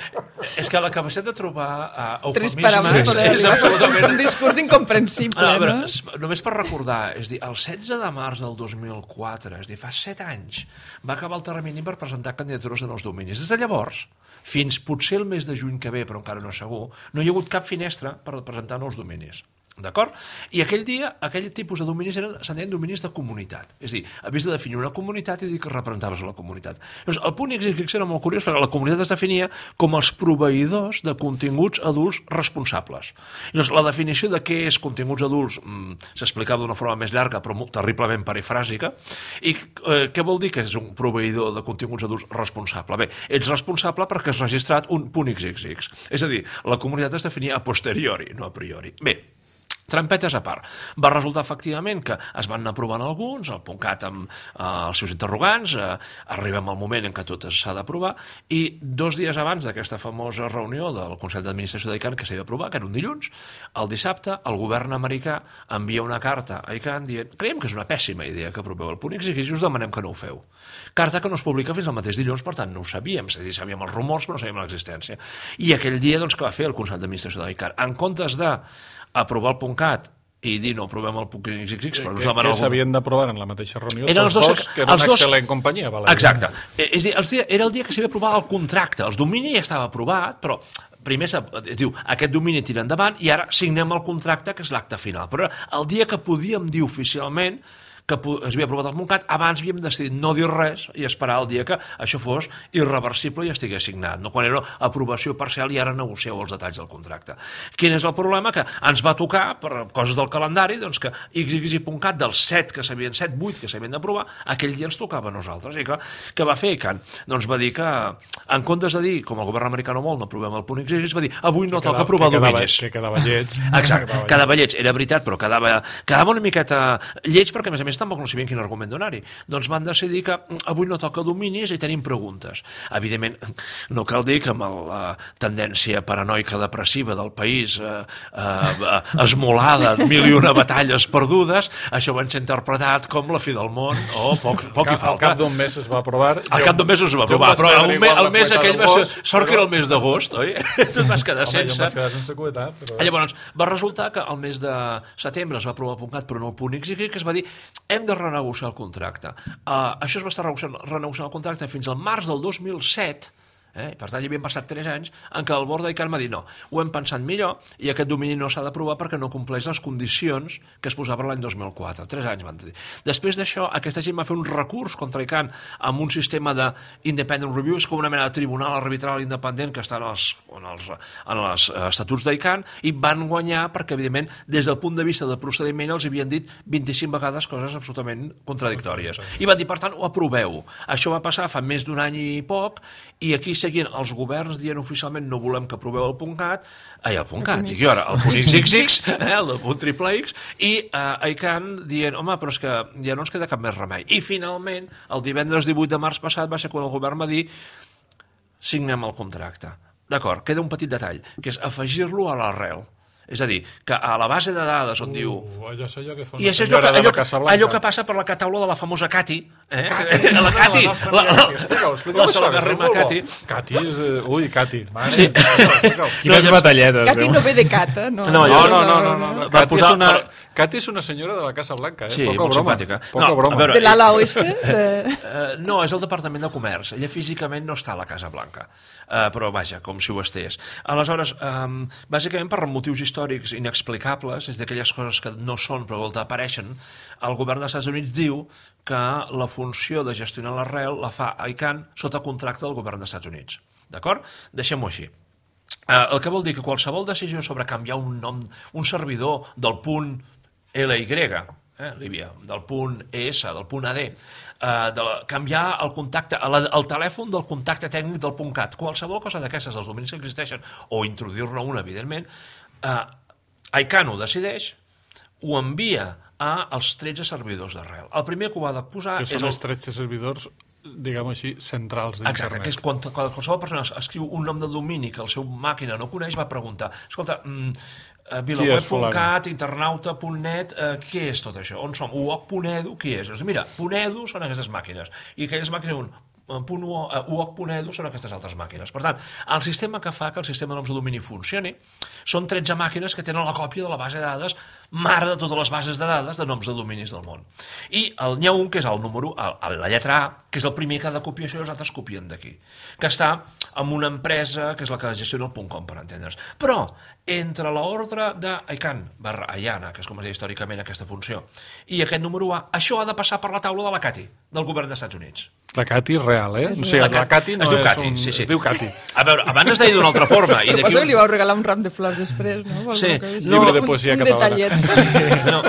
és que la capacitat de trobar uh, eufemismes sí, és, sí. és absolutament... Un discurs incomprensible, no? Veure, no? Només per recordar, és dir, el setze de març del dos mil quatre, és dir, fa set anys, va acabar el termini per presentar candidatures en els dominis. Des de llavors, fins potser el mes de juny que ve, però encara no és segur, no hi ha hagut cap finestra per presentar nous dominis. D'acord? I aquell dia, aquell tipus de dominis eren, se'n deien dominis de comunitat. És a dir, havies de definir una comunitat i dir que representaves a la comunitat. Llavors, el punt X X era molt curiós perquè la comunitat es definia com els proveïdors de continguts adults responsables. Llavors, la definició de què és continguts adults mmm, s'explicava d'una forma més llarga però molt, terriblement perifràsica. I eh, què vol dir que és un proveïdor de continguts adults responsable? Bé, ets responsable perquè has registrat un punt X X X. És a dir, la comunitat es definia a posteriori, no a priori. Bé, trampetes a part. Va resultar efectivament que es van anar provant alguns, el PUNCAT amb eh, els seus interrogants, eh, arribem al moment en què tot s'ha d'aprovar, i dos dies abans d'aquesta famosa reunió del Consell d'Administració d'ICANN que s'havia d'aprovar, que era un dilluns, el dissabte el govern americà envia una carta a ICANN dient creiem que és una pèssima idea que aproveu el punt X X i us demanem que no ho feu. Carta que no es publica fins al mateix dilluns, per tant no ho sabíem, és a dir, sabíem els rumors però no sabíem l'existència. I aquell dia, doncs, què va fer el Consell d'Administració d'ICANN? En comptes de aprovar el PUNCAT i dir no aprovem el punt X X X però que, que s'havien d'aprovar en la mateixa reunió eren els dos, dos que eren una dos... excel·lent companyia. Vale. Exacte. És dir, els dia, era el dia que s'havia aprovat el contracte. El domini ja estava aprovat, però primer es diu aquest domini tira endavant i ara signem el contracte, que és l'acte final. Però el dia que podíem dir oficialment que es havia aprovat el PUNCAT, abans havíem decidit no dir res i esperar el dia que això fos irreversible i estigués signat, no? Quan era aprovació parcial i ara negocieu els detalls del contracte. Quin és el problema? Que ens va tocar, per coses del calendari, doncs que X X i PUNCAT dels set que s'havien, set, vuit que s'havien d'aprovar, aquell dia ens tocava a nosaltres. I clar, què va fer ICANN? Doncs va dir que, en comptes de dir, com el govern americà no vol, no aprovem el punt X X, va dir, avui no toca aprovar dominis. Que quedava lleig. Exacte, quedava lleig, era veritat, però quedava, quedava una miqueta lleig perquè, a més a més, tampoc no sabien quin argument donar-hi. Doncs van decidir que avui no toca dominis i tenim preguntes. Evidentment, no cal dir que amb la tendència paranoica depressiva del país eh, eh, esmolada, mil i una batalles perdudes, això va ser interpretat com la fi del món o poc, poc hi falta. Al cap d'un mes es va aprovar. Al cap d'un mes es va aprovar, però el, me, el mes aquell va ser... Sort que era el mes d'agost, oi? Es vas quedar sense... Home, jo em vas quedar sense cuetar, però... Llavors, va resultar que el mes de setembre es va aprovar el PUNCAT, però no el punt X X, que es va dir hem de renegociar el contracte. Uh, això es va estar renegociant, renegociant el contracte fins al març del dos mil set, Eh? Per tant, hi havien passat tres anys en què el board d'ICANN va dir no, ho hem pensat millor i aquest domini no s'ha d'aprovar perquè no compleix les condicions que es posaven l'any dos mil quatre. Tres anys van dir. Després d'això, aquesta gent va fer un recurs contra ICANN amb un sistema d'independent review, és com una mena de tribunal arbitral independent que està en els, en els, en els estatuts d'ICANN, i van guanyar perquè, evidentment, des del punt de vista del procediment els havien dit vint-i-cinc vegades coses absolutament contradictòries. I van dir, per tant, ho aproveu. Això va passar fa més d'un any i poc, i aquí seguien els governs dient oficialment no volem que aproveu el .cat, ai, el .cat, i ara el .xxx, eh, el del triple X, i eh, ICANN dient, home, però és que ja no ens queda cap més remei. I finalment, el divendres divuit de març passat va ser quan el govern va dir signem el contracte. D'acord, queda un petit detall, que és afegir-lo a l'arrel. És a dir, que a la base de dades on uh, diu... Allò és allò que fa una senyora de la Casa Blanca. Allò que passa per la cataula de la famosa Cati. Eh? Cati. La Cati. La, la, explica-ho, explica-ho. La salagarrima Cati. Cati és... Ui, Cati. Sí. Quines batalletes. Cati no ve de cata, no? No, no, no. no, no, no. Cati, és una, Cati és una senyora de la Casa Blanca, eh? Sí, Poca molt broma. simpàtica. Poca No, broma. a veure, De l'ala oeste? De... Uh, no, és el Departament de Comerç. Ella físicament no està a la Casa Blanca. Uh, però vaja, com si ho estés. Aleshores, um, bàsicament per motius històrics inexplicables, és d'aquelles coses que no són però volta apareixen, el govern dels Estats Units diu que la funció de gestionar l'arrel la fa ICANN sota contracte del govern dels Estats Units. D'acord? Deixem-ho així. Uh, el que vol dir que qualsevol decisió sobre canviar un nom, un servidor del punt L Y, eh, Líbia, del punt E S, del punt A D, eh, de la, canviar el contacte, el, el telèfon del contacte tècnic del .cat, qualsevol cosa d'aquestes, dels dominis que existeixen, o introduir-ne un, evidentment, eh, ICANN ho decideix, ho envia a els tretze servidors d'arrel. El primer que ho ha de posar que és... són el... els tretze servidors, diguem així, centrals d'internet. Exacte, que és quan, quan qualsevol persona escriu un nom de domini que el seu màquina no coneix, va preguntar, escolta, mm, vilaweb punt cat, internauta punt net, eh, què és tot això? On som? u o c punt e d u, qui és? Doncs mira, .edu són aquestes màquines, i aquelles màquines un u o c punt e d u són aquestes altres màquines. Per tant, el sistema que fa que el sistema de noms de domini funcioni són tretze màquines que tenen la còpia de la base de dades mare de totes les bases de dades de noms de dominis del món. I n'hi ha un que és el número, el, la lletra A, que és el primer que ha de copiar això i els altres copien d'aquí, que està en una empresa que és la que gestiona el .com, per entendre's. Però, entre l'ordre d'ICANN barra IANA, que és com es diu històricament aquesta funció, i aquest número A, això ha de passar per la taula de la Cati, del govern dels Estats Units. La Cati real, eh? O sigui, la, la Cati no es diu és Cati, un... sí, sí. Es diu Cati. A veure, abans es deia d'una altra forma. I Suposo un... que li vau regalar un ram de flors després, no? Sí. No, llibre de poesia un, un catalana. detallet. Sí. No.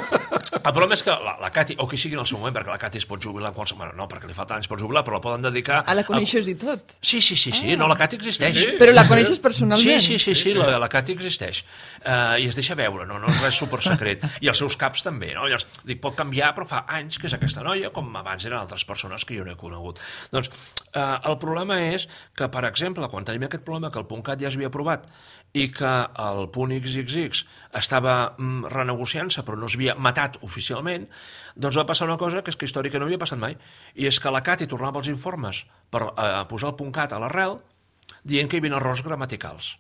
El problema és que la, la Cati, o qui sigui en el seu moment, perquè la Cati es pot jubilar en qualsevol... Bueno, no, perquè li falta anys per jubilar, però la poden dedicar... Ah, la coneixes i tot? Sí, sí, sí, sí. Ah. No, la Cati existeix. Sí, sí. Però la coneixes personalment? Sí, sí, sí, sí, sí. La, la Cati existeix. Uh, I es deixa veure, no, no és res supersecret. I els seus caps també, no? Llavors, dic, pot canviar, però fa anys que és aquesta noia, com abans eren altres persones que jo no he conegut. Doncs uh, el problema és que, per exemple, quan tenim aquest problema que el .cat ja s'havia aprovat i que el .xxx estava mm, renegociant-se però no s'havia matat oficialment, doncs va passar una cosa que és que històrica no havia passat mai, i és que la Cati tornava els informes per eh, posar el .cat a l'arrel dient que hi havia errors gramaticals.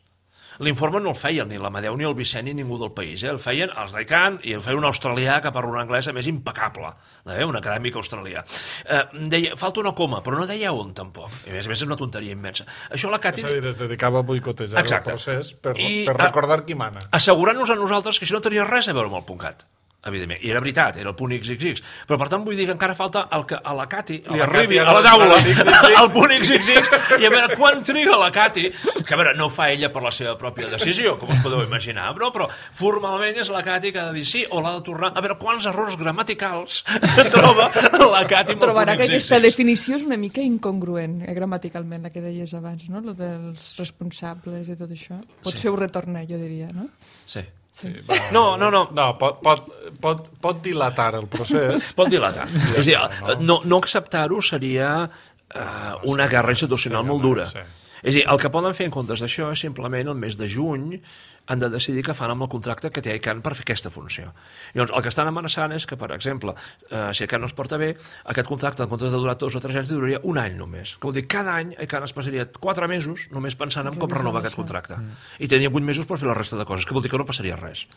L'informe no el feien ni l'Amadeu ni el Vicent ni ningú del país, eh? El feien els d'ICANN i el feia un australià que parla un anglès a més impecable, eh? Un acadèmic australià. Eh, deia, falta una coma, però no deia on tampoc. I a més a més és una tonteria immensa. Això la Cati... És a dir, es dedicava a boicotejar Exacte. El procés per, I, per recordar qui mana. Assegurant-nos a nosaltres que això no tenia res a veure amb el .cat. Evidentment, i era veritat, era el .xxx, però per tant vull dir que encara falta el que a la Cati li la arribi Cati, a la taula el el .xxx, i a veure quan triga la Cati, que a veure, no ho fa ella per la seva pròpia decisió, com us podeu imaginar, però, però formalment és la Cati que ha de dir sí o l'ha de tornar, a veure quants errors gramaticals troba la Cati amb el Trobarà que aquesta .xxx. definició és una mica incongruent, eh, gramaticalment, la que deies abans, no? Lo dels responsables i tot això. Potser Sí. ho retorna, jo diria, no? Sí. Sí, va, No, no, no. No, pot, pot, pot, pot dilatar el procés. Pot dilatar. És a dir, no, no acceptar-ho seria uh, una guerra institucional molt dura. Sí. És a dir, el que poden fer en comptes d'això és simplement el mes de juny han de decidir què fan amb el contracte que té ICANN per fer aquesta funció. Llavors, el que estan amenaçant és que, per exemple, eh, si ICANN no es porta bé, aquest contracte, en comptes de durar dos o tres anys, duraria un any només. Que vol dir, cada any ICANN es passaria quatre mesos només pensant en com renovar aquest contracte. Mm. I tenia vuit mesos per fer la resta de coses, que vol dir que no passaria res.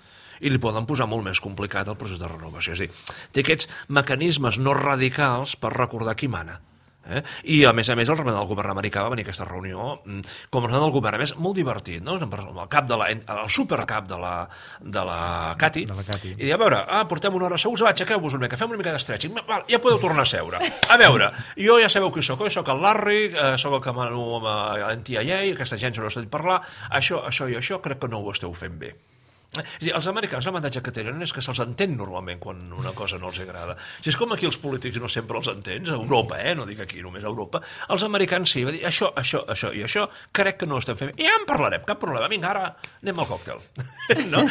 I li poden posar molt més complicat el procés de renovació. És a dir, té aquests mecanismes no radicals per recordar qui mana. Eh? I, a més a més, el representant del govern americà va venir a aquesta reunió com a representant del govern, a més, molt divertit, no? El cap de la, el supercap de la, de la Cati, de la Cati. I a veure, ah, portem una hora segurs, va, aixequeu-vos una mica, fem una mica d'estretxing, ja podeu tornar a seure. A veure, jo ja sabeu qui sóc, jo sóc el Larry, eh, sóc el que mano amb l'N T I A, aquesta gent no s'ha dit parlar, això, això i això crec que no ho esteu fent bé. És dir, els americans l'avantatge que tenen és que se'ls entén normalment quan una cosa no els agrada. Si és com aquí els polítics no sempre els entens, a Europa, eh? No dic aquí, només a Europa, els americans sí, va dir això, això, això i això, crec que no ho estem fent. I ja en parlarem, cap problema. Vinga, ara anem al còctel. No?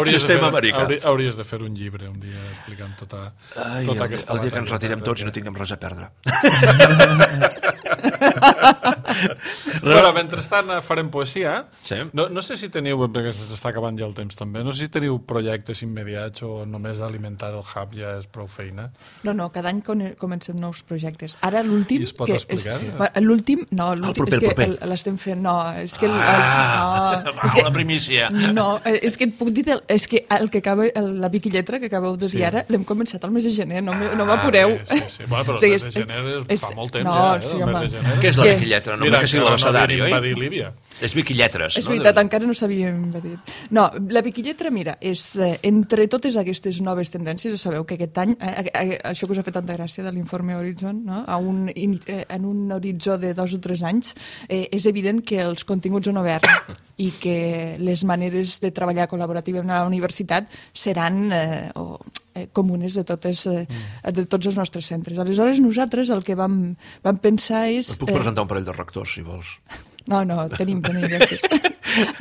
Sistema americà. Hauries, hauries de fer un llibre un dia explicant tota, Ai, tota el, aquesta el dia que ens matèria, retirem tots perquè... no tinguem res a perdre. Però mentrestant farem poesia. Sí. No, no sé si teniu, perquè s'està acabant ja el temps també, no sé si teniu projectes immediats o només alimentar el hub ja és prou feina. No, no, cada any comencem nous projectes. Ara l'últim... I es pot que explicar? És, sí, l'últim, no, l'últim és que l'estem fent... No, és que... El, Ah, no, va, és que, la primícia. No, és que et puc dir... És que el que acaba, el, la Vicky Lletra que acabeu de dir Sí. ara, l'hem començat al mes de gener, no, no Ah, m'apureu. Sí, sí. Bueno, però el Sí, mes de és- gener és- fa molt temps no, ja, eh? sí, el home. mes de gener. Què és la Què? Vicky Lletra? No, Mira, que sigui l'abecedari, no oi? invadir Líbia. És Vicky Lletres, És no? veritat, encara no s'havia invadir. No, la Vicky Lletra, mira, és eh, entre totes aquestes noves tendències, ja sabeu que aquest any, eh, eh, això que us ha fet tanta gràcia de l'informe Horizon, no? a un, eh, en un horitzó de dos o tres anys, eh, és evident que els continguts són oberts i que les maneres de treballar col·laborativament a la universitat seran eh, o, eh, comunes de, totes, eh, de tots els nostres centres. Aleshores, nosaltres el que vam, vam pensar és... Et puc presentar un parell de rectors, si vols. No, no, tenim, tenim, gràcies.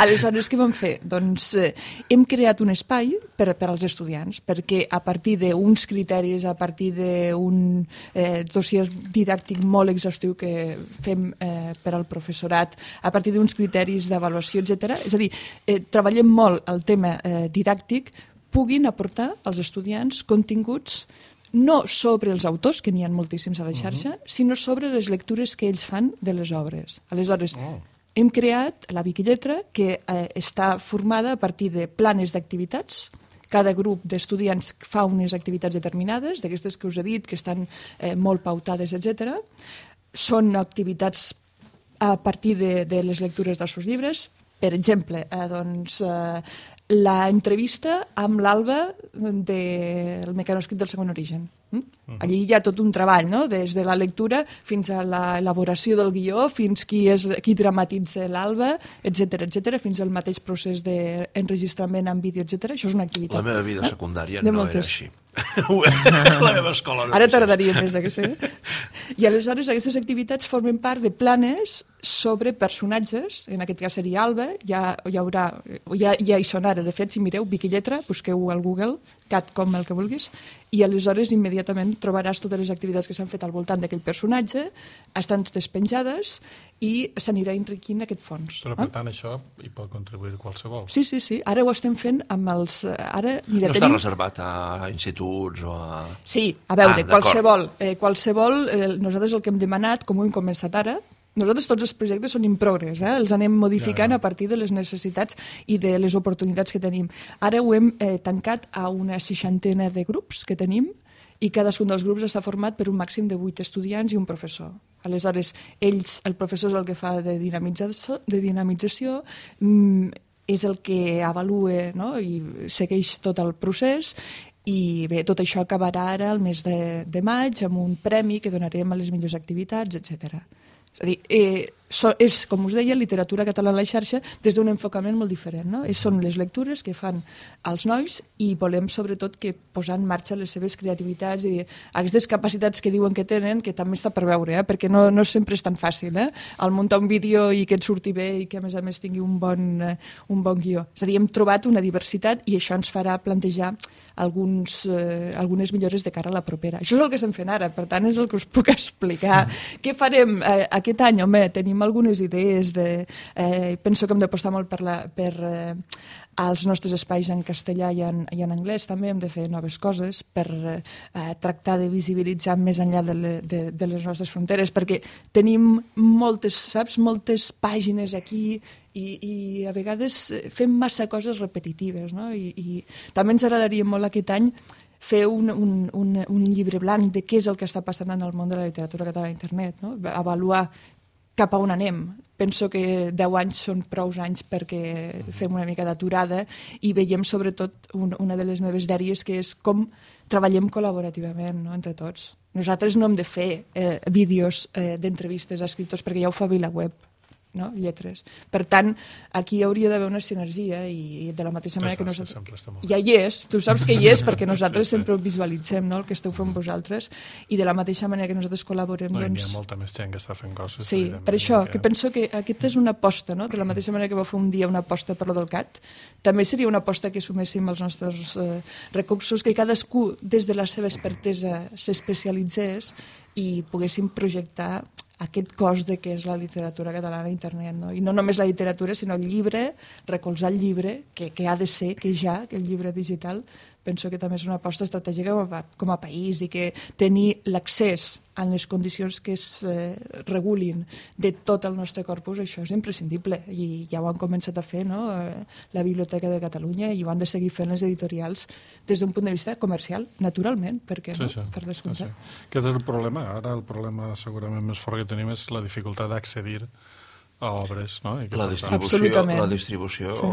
Aleshores, què vam fer? Doncs eh, hem creat un espai per, per als estudiants, perquè a partir d'uns criteris, a partir d'un eh, dossier didàctic molt exhaustiu que fem eh, per al professorat, a partir d'uns criteris d'avaluació, etcètera. És a dir, eh, treballem molt el tema eh, didàctic, puguin aportar als estudiants continguts no sobre els autors, que n'hi ha moltíssims a la xarxa, uh -huh. sinó sobre les lectures que ells fan de les obres. Aleshores, oh. hem creat la Vicky Lletra, que eh, està formada a partir de planes d'activitats. Cada grup d'estudiants fa unes activitats determinades, d'aquestes que us he dit, que estan eh, molt pautades, etcètera. Són activitats a partir de, de les lectures dels seus llibres. Per exemple, eh, doncs... Eh, la entrevista amb l'Alba del mecanoscrit del segon origen. Allí hi ha tot un treball, no? Des de la lectura fins a l'elaboració del guió, fins qui, és, qui dramatitza l'Alba, etcètera, etcètera, fins al mateix procés d'enregistrament en vídeo, etcètera. Això és una activitat. La meva vida secundària de no moltes. era així. La meva escola no Ara era tardaria més a que sé. I aleshores aquestes activitats formen part de planes sobre personatges, en aquest cas seria Alba, ja hi haurà, ja, ja hi són ara, de fet, si mireu Vicky Lletra, busqueu al Google, cat com el que vulguis, i aleshores immediatament trobaràs totes les activitats que s'han fet al voltant d'aquell personatge, estan totes penjades i s'anirà enriquint aquest fons. Però, per tant, això hi pot contribuir qualsevol. Sí, sí, sí. Ara ho estem fent amb els... Ara, mira, no tenim... està reservat a instituts o a... Sí, a veure, Ah, qualsevol. Eh, qualsevol eh, nosaltres el que hem demanat, com ho hem començat ara, nosaltres tots els projectes són in progress, eh? Els anem modificant Ja. a partir de les necessitats i de les oportunitats que tenim. Ara ho hem eh, tancat a una seixantena de grups que tenim i cadascun dels grups està format per un màxim de vuit estudiants i un professor. Aleshores, ells, el professor és el que fa de dinamització, de dinamització mm, és el que avalua, no? I segueix tot el procés. I bé, tot això acabarà ara el mes de, de maig amb un premi que donarem a les millors activitats, etcètera. És a dir, eh, so, és, com us deia, literatura catalana a la xarxa des d'un enfocament molt diferent. No? És, són les lectures que fan els nois i volem, sobretot, que posar en marxa les seves creativitats i aquestes capacitats que diuen que tenen, que també està per veure, eh? Perquè no, no sempre és tan fàcil. Eh? El muntar un vídeo i que et surti bé i que, a més a més, tingui un bon, eh, un bon guió. És a dir, hem trobat una diversitat i això ens farà plantejar alguns, eh, algunes millores de cara a la propera. Això és el que estem fent ara, per tant és el que us puc explicar. Mm. Què farem eh, aquest any? Home, tenim algunes idees, de, eh, penso que hem d'apostar molt per, la, per eh, als nostres espais en castellà i en, i en anglès, també hem de fer noves coses per eh, tractar de visibilitzar més enllà de, le, de, de les nostres fronteres, perquè tenim moltes, saps, moltes pàgines aquí i, i a vegades fem massa coses repetitives, no? I, i també ens agradaria molt aquest any fer un, un, un, un llibre blanc de què és el que està passant en el món de la literatura catalana a internet, no? Avaluar cap a on anem. Penso que deu anys són prou anys perquè fem una mica d'aturada i veiem sobretot un, una de les meves dèries, que és com treballem col·laborativament, no? Entre tots. Nosaltres no hem de fer eh, vídeos eh, d'entrevistes a escriptors perquè ja ho fa VilaWeb, no? Lletres. Per tant, aquí hauria d'haver una sinergia i de la mateixa manera que nosaltres... Ja hi és, tu saps que hi és perquè nosaltres sí, sí. sempre ho visualitzem, no? El que esteu fent vosaltres, i de la mateixa manera que nosaltres col·laborem... No, doncs... hi ha molta més gent que està fent coses. Sí, per això, que... que penso que aquesta és una aposta, no? De la mateixa manera que va fer un dia una aposta per lo del C A T, també seria una aposta que suméssim els nostres eh, recursos, que cadascú des de la seva expertesa s'especialitzés i poguéssim projectar aquest cos de què és la literatura catalana a internet, no? I no només la literatura, sinó el llibre, recolzar el llibre, que, que ha de ser, que ja, que el llibre digital, penso que també és una aposta estratègica com a, com a país, i que tenir l'accés en les condicions que es eh, regulin de tot el nostre corpus, això és imprescindible, i ja ho han començat a fer, no? Eh, la Biblioteca de Catalunya, i ho han de seguir fent les editorials des d'un punt de vista comercial, naturalment, perquè sí, no? Sí, per descomptat. sí, sí. Aquest és el problema. Ara el problema segurament més fort que tenim és la dificultat d'accedir a obres, no? I que la distribució, Absolutament. la distribució sí.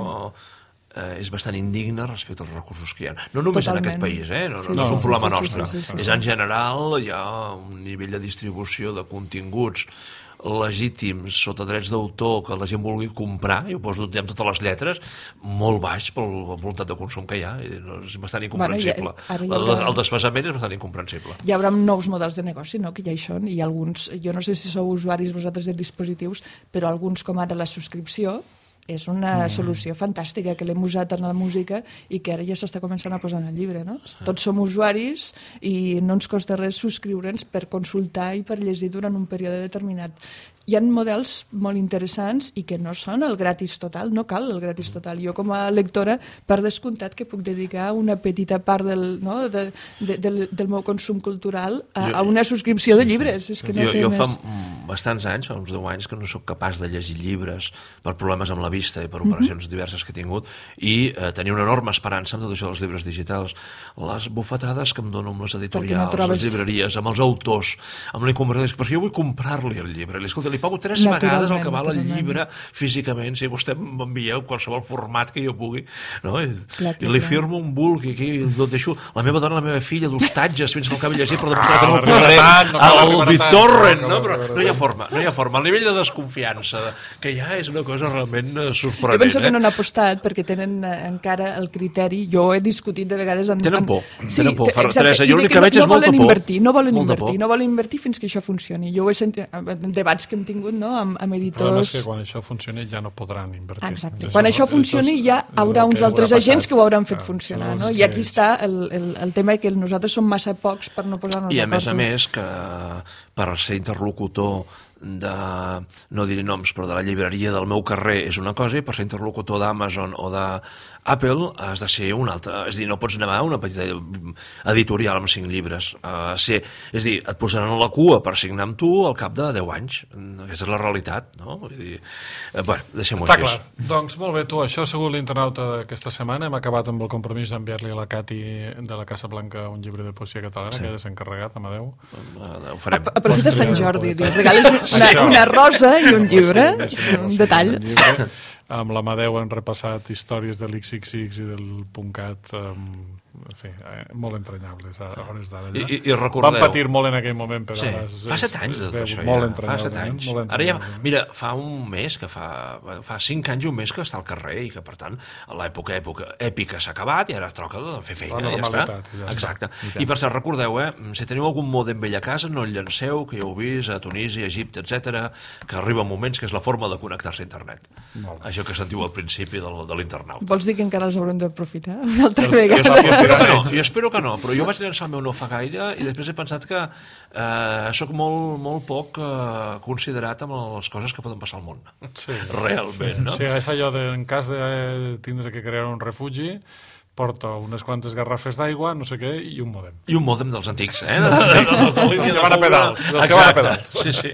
eh, és bastant indigna respecte als recursos que hi ha. No només Totalment. en aquest país, eh? no, no, Sí, no és un sí, problema sí, sí, nostre. sí, sí, sí, sí. És en general, hi ha un nivell de distribució de continguts legítims sota drets d'autor que la gent vulgui comprar, i ho poso amb totes les lletres, molt baix per la voluntat de consum que hi ha, i és bastant incomprensible. Bueno, ja, ja haurà... El desfasament és bastant incomprensible. Hi haurà nous models de negoci, no?, que ja hi són, i alguns, jo no sé si sou usuaris vosaltres de dispositius, però alguns, com ara la subscripció, és una mm. solució fantàstica que l'hem usat en la música i que ara ja s'està començant a posar en el llibre, no? Sí. Tots som usuaris i no ens costa res subscriure'ns per consultar i per llegir durant un període determinat. Hi ha models molt interessants i que no són el gratis total, no cal el gratis total. Jo com a lectora, per descomptat que puc dedicar una petita part del, no, de, de, del, del meu consum cultural a, jo, a una subscripció de llibres. És que no jo, té jo més... fa bastants anys, fa uns deu anys, que no sóc capaç de llegir llibres per problemes amb la vista i per operacions mm-hmm. diverses que he tingut, i eh, tenia una enorme esperança amb tot això dels llibres digitals. Les bufetades que em dono amb les editorials, no trobes... les llibreries, amb els autors, amb la inconversió, però si jo vull comprar-li el llibre, li, escolta, li pago tres vegades el que val el llibre físicament, si vostè m'envieu qualsevol format que jo pugui, no? I, clar, clar, i li firmo un bulk i aquí el deixo la meva dona, la meva filla, d'hostatges fins que el acabi llegir per demostrar que no el podré al BitTorrent, no? Però no hi ha forma, no hi ha forma. El nivell de desconfiança que ja és una cosa realment sorprenent. Jo penso que eh? no han apostat perquè tenen encara el criteri, jo he discutit de vegades amb... Tenen por, sí, tenen por, exacte, Teresa, jo l'únic que veig no, és molta por. Invertir, no volen molta invertir, por. no volen invertir fins que això funcioni. Jo ho he sentit en debats que hem tingut, no?, amb, amb editors... El problema és que quan això funcioni ja no podran invertir. Exacte. Quan això funcioni ja haurà uns altres agents que ho hauran fet funcionar, no? I aquí està el, el, el tema que nosaltres som massa pocs per no posar-nos d'acord. I a més a més que per ser interlocutor de, no diré noms, però de la llibreria del meu carrer és una cosa, i per ser interlocutor d'Amazon o d'Apple has de ser una altra. És a dir, no pots anar a una petita editorial amb cinc llibres. Uh, ser, és a dir, et posaran a la cua per signar amb tu al cap de deu anys. Aquesta és la realitat, no? Vull dir, eh, bueno, deixem-ho així. Està clar. Doncs molt bé, tu, això ha sigut l'internauta d'aquesta setmana. Hem acabat amb el compromís d'enviar-li a la Cati de la Casa Blanca un llibre de poesia catalana, sí. que ja s'ha encarregat, Amadeu. Uh, ho farem. Aprofita Sant Jordi, li regales una, una rosa i un llibre, sí, sí, un detall. Un llibre. Amb l'Amadeu hem repassat històries de l'X X X i del .cat, um, en fi, eh, molt entranyables a hores d'ara. I, i, i recordeu... Van patir molt en aquell moment, però... Sí. ara és, fa set anys de tot això, molt ja. Fa set anys. Molt ara ja, mira, fa un mes, que fa, fa cinc anys i un mes que està al carrer i que, per tant, l'època època èpica s'ha acabat i ara es troca de fer feina, ja està. Ja Exacte. Està. I per cert, recordeu, eh, si teniu algun mòdem vell a casa, no el llanceu, que ja ho heu vist a Tunísia, Egipte, etcètera, que arriba moments que és la forma de connectar-se a internet. Això que sentiu al principi de, de l'internauta. Vols dir que encara els haurem d'aprofitar una altra vegada? Jo espero que no, jo espero que no, però jo vaig llançar el meu no fa gaire i després he pensat que eh, sóc molt, molt poc eh, considerat amb les coses que poden passar al món. Sí. Realment, no? Sí, és allò de, en cas de tindre que crear un refugi, porta unes quantes garrafes d'aigua, no sé què, i un mòdem. I un mòdem dels antics, eh? Dels de línia de van a pedals. Dels que van a pedals. Sí, sí.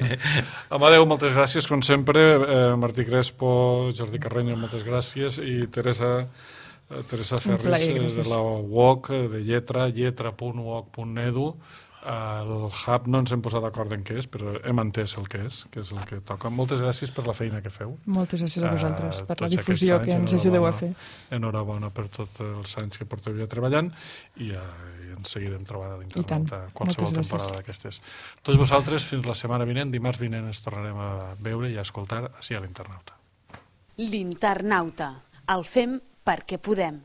Amadeu, moltes gràcies, com sempre. Eh, Martí Crespo, Jordi Carreño, moltes gràcies. I Teresa Teresa Un Ferris, plaer, eh, de gràcies. la U O C, de lletra, lletra punt u o c punt edu. El hub no ens hem posat d'acord en què és, però hem entès el que és, que és el que toca. Moltes gràcies per la feina que feu. Moltes gràcies a vosaltres Eh, per la tots difusió aquests que anys, ens ajudeu a enhorabona- fer. Enhorabona per tots els anys que porteu ja treballant i, eh, i ens seguirem trobant a I l'internet tant. a qualsevol Moltes gràcies. temporada d'aquestes. Tots vosaltres, fins la setmana vinent, dimarts vinent ens tornarem a veure i a escoltar així a l'Internauta. L'Internauta. El fem perquè podem.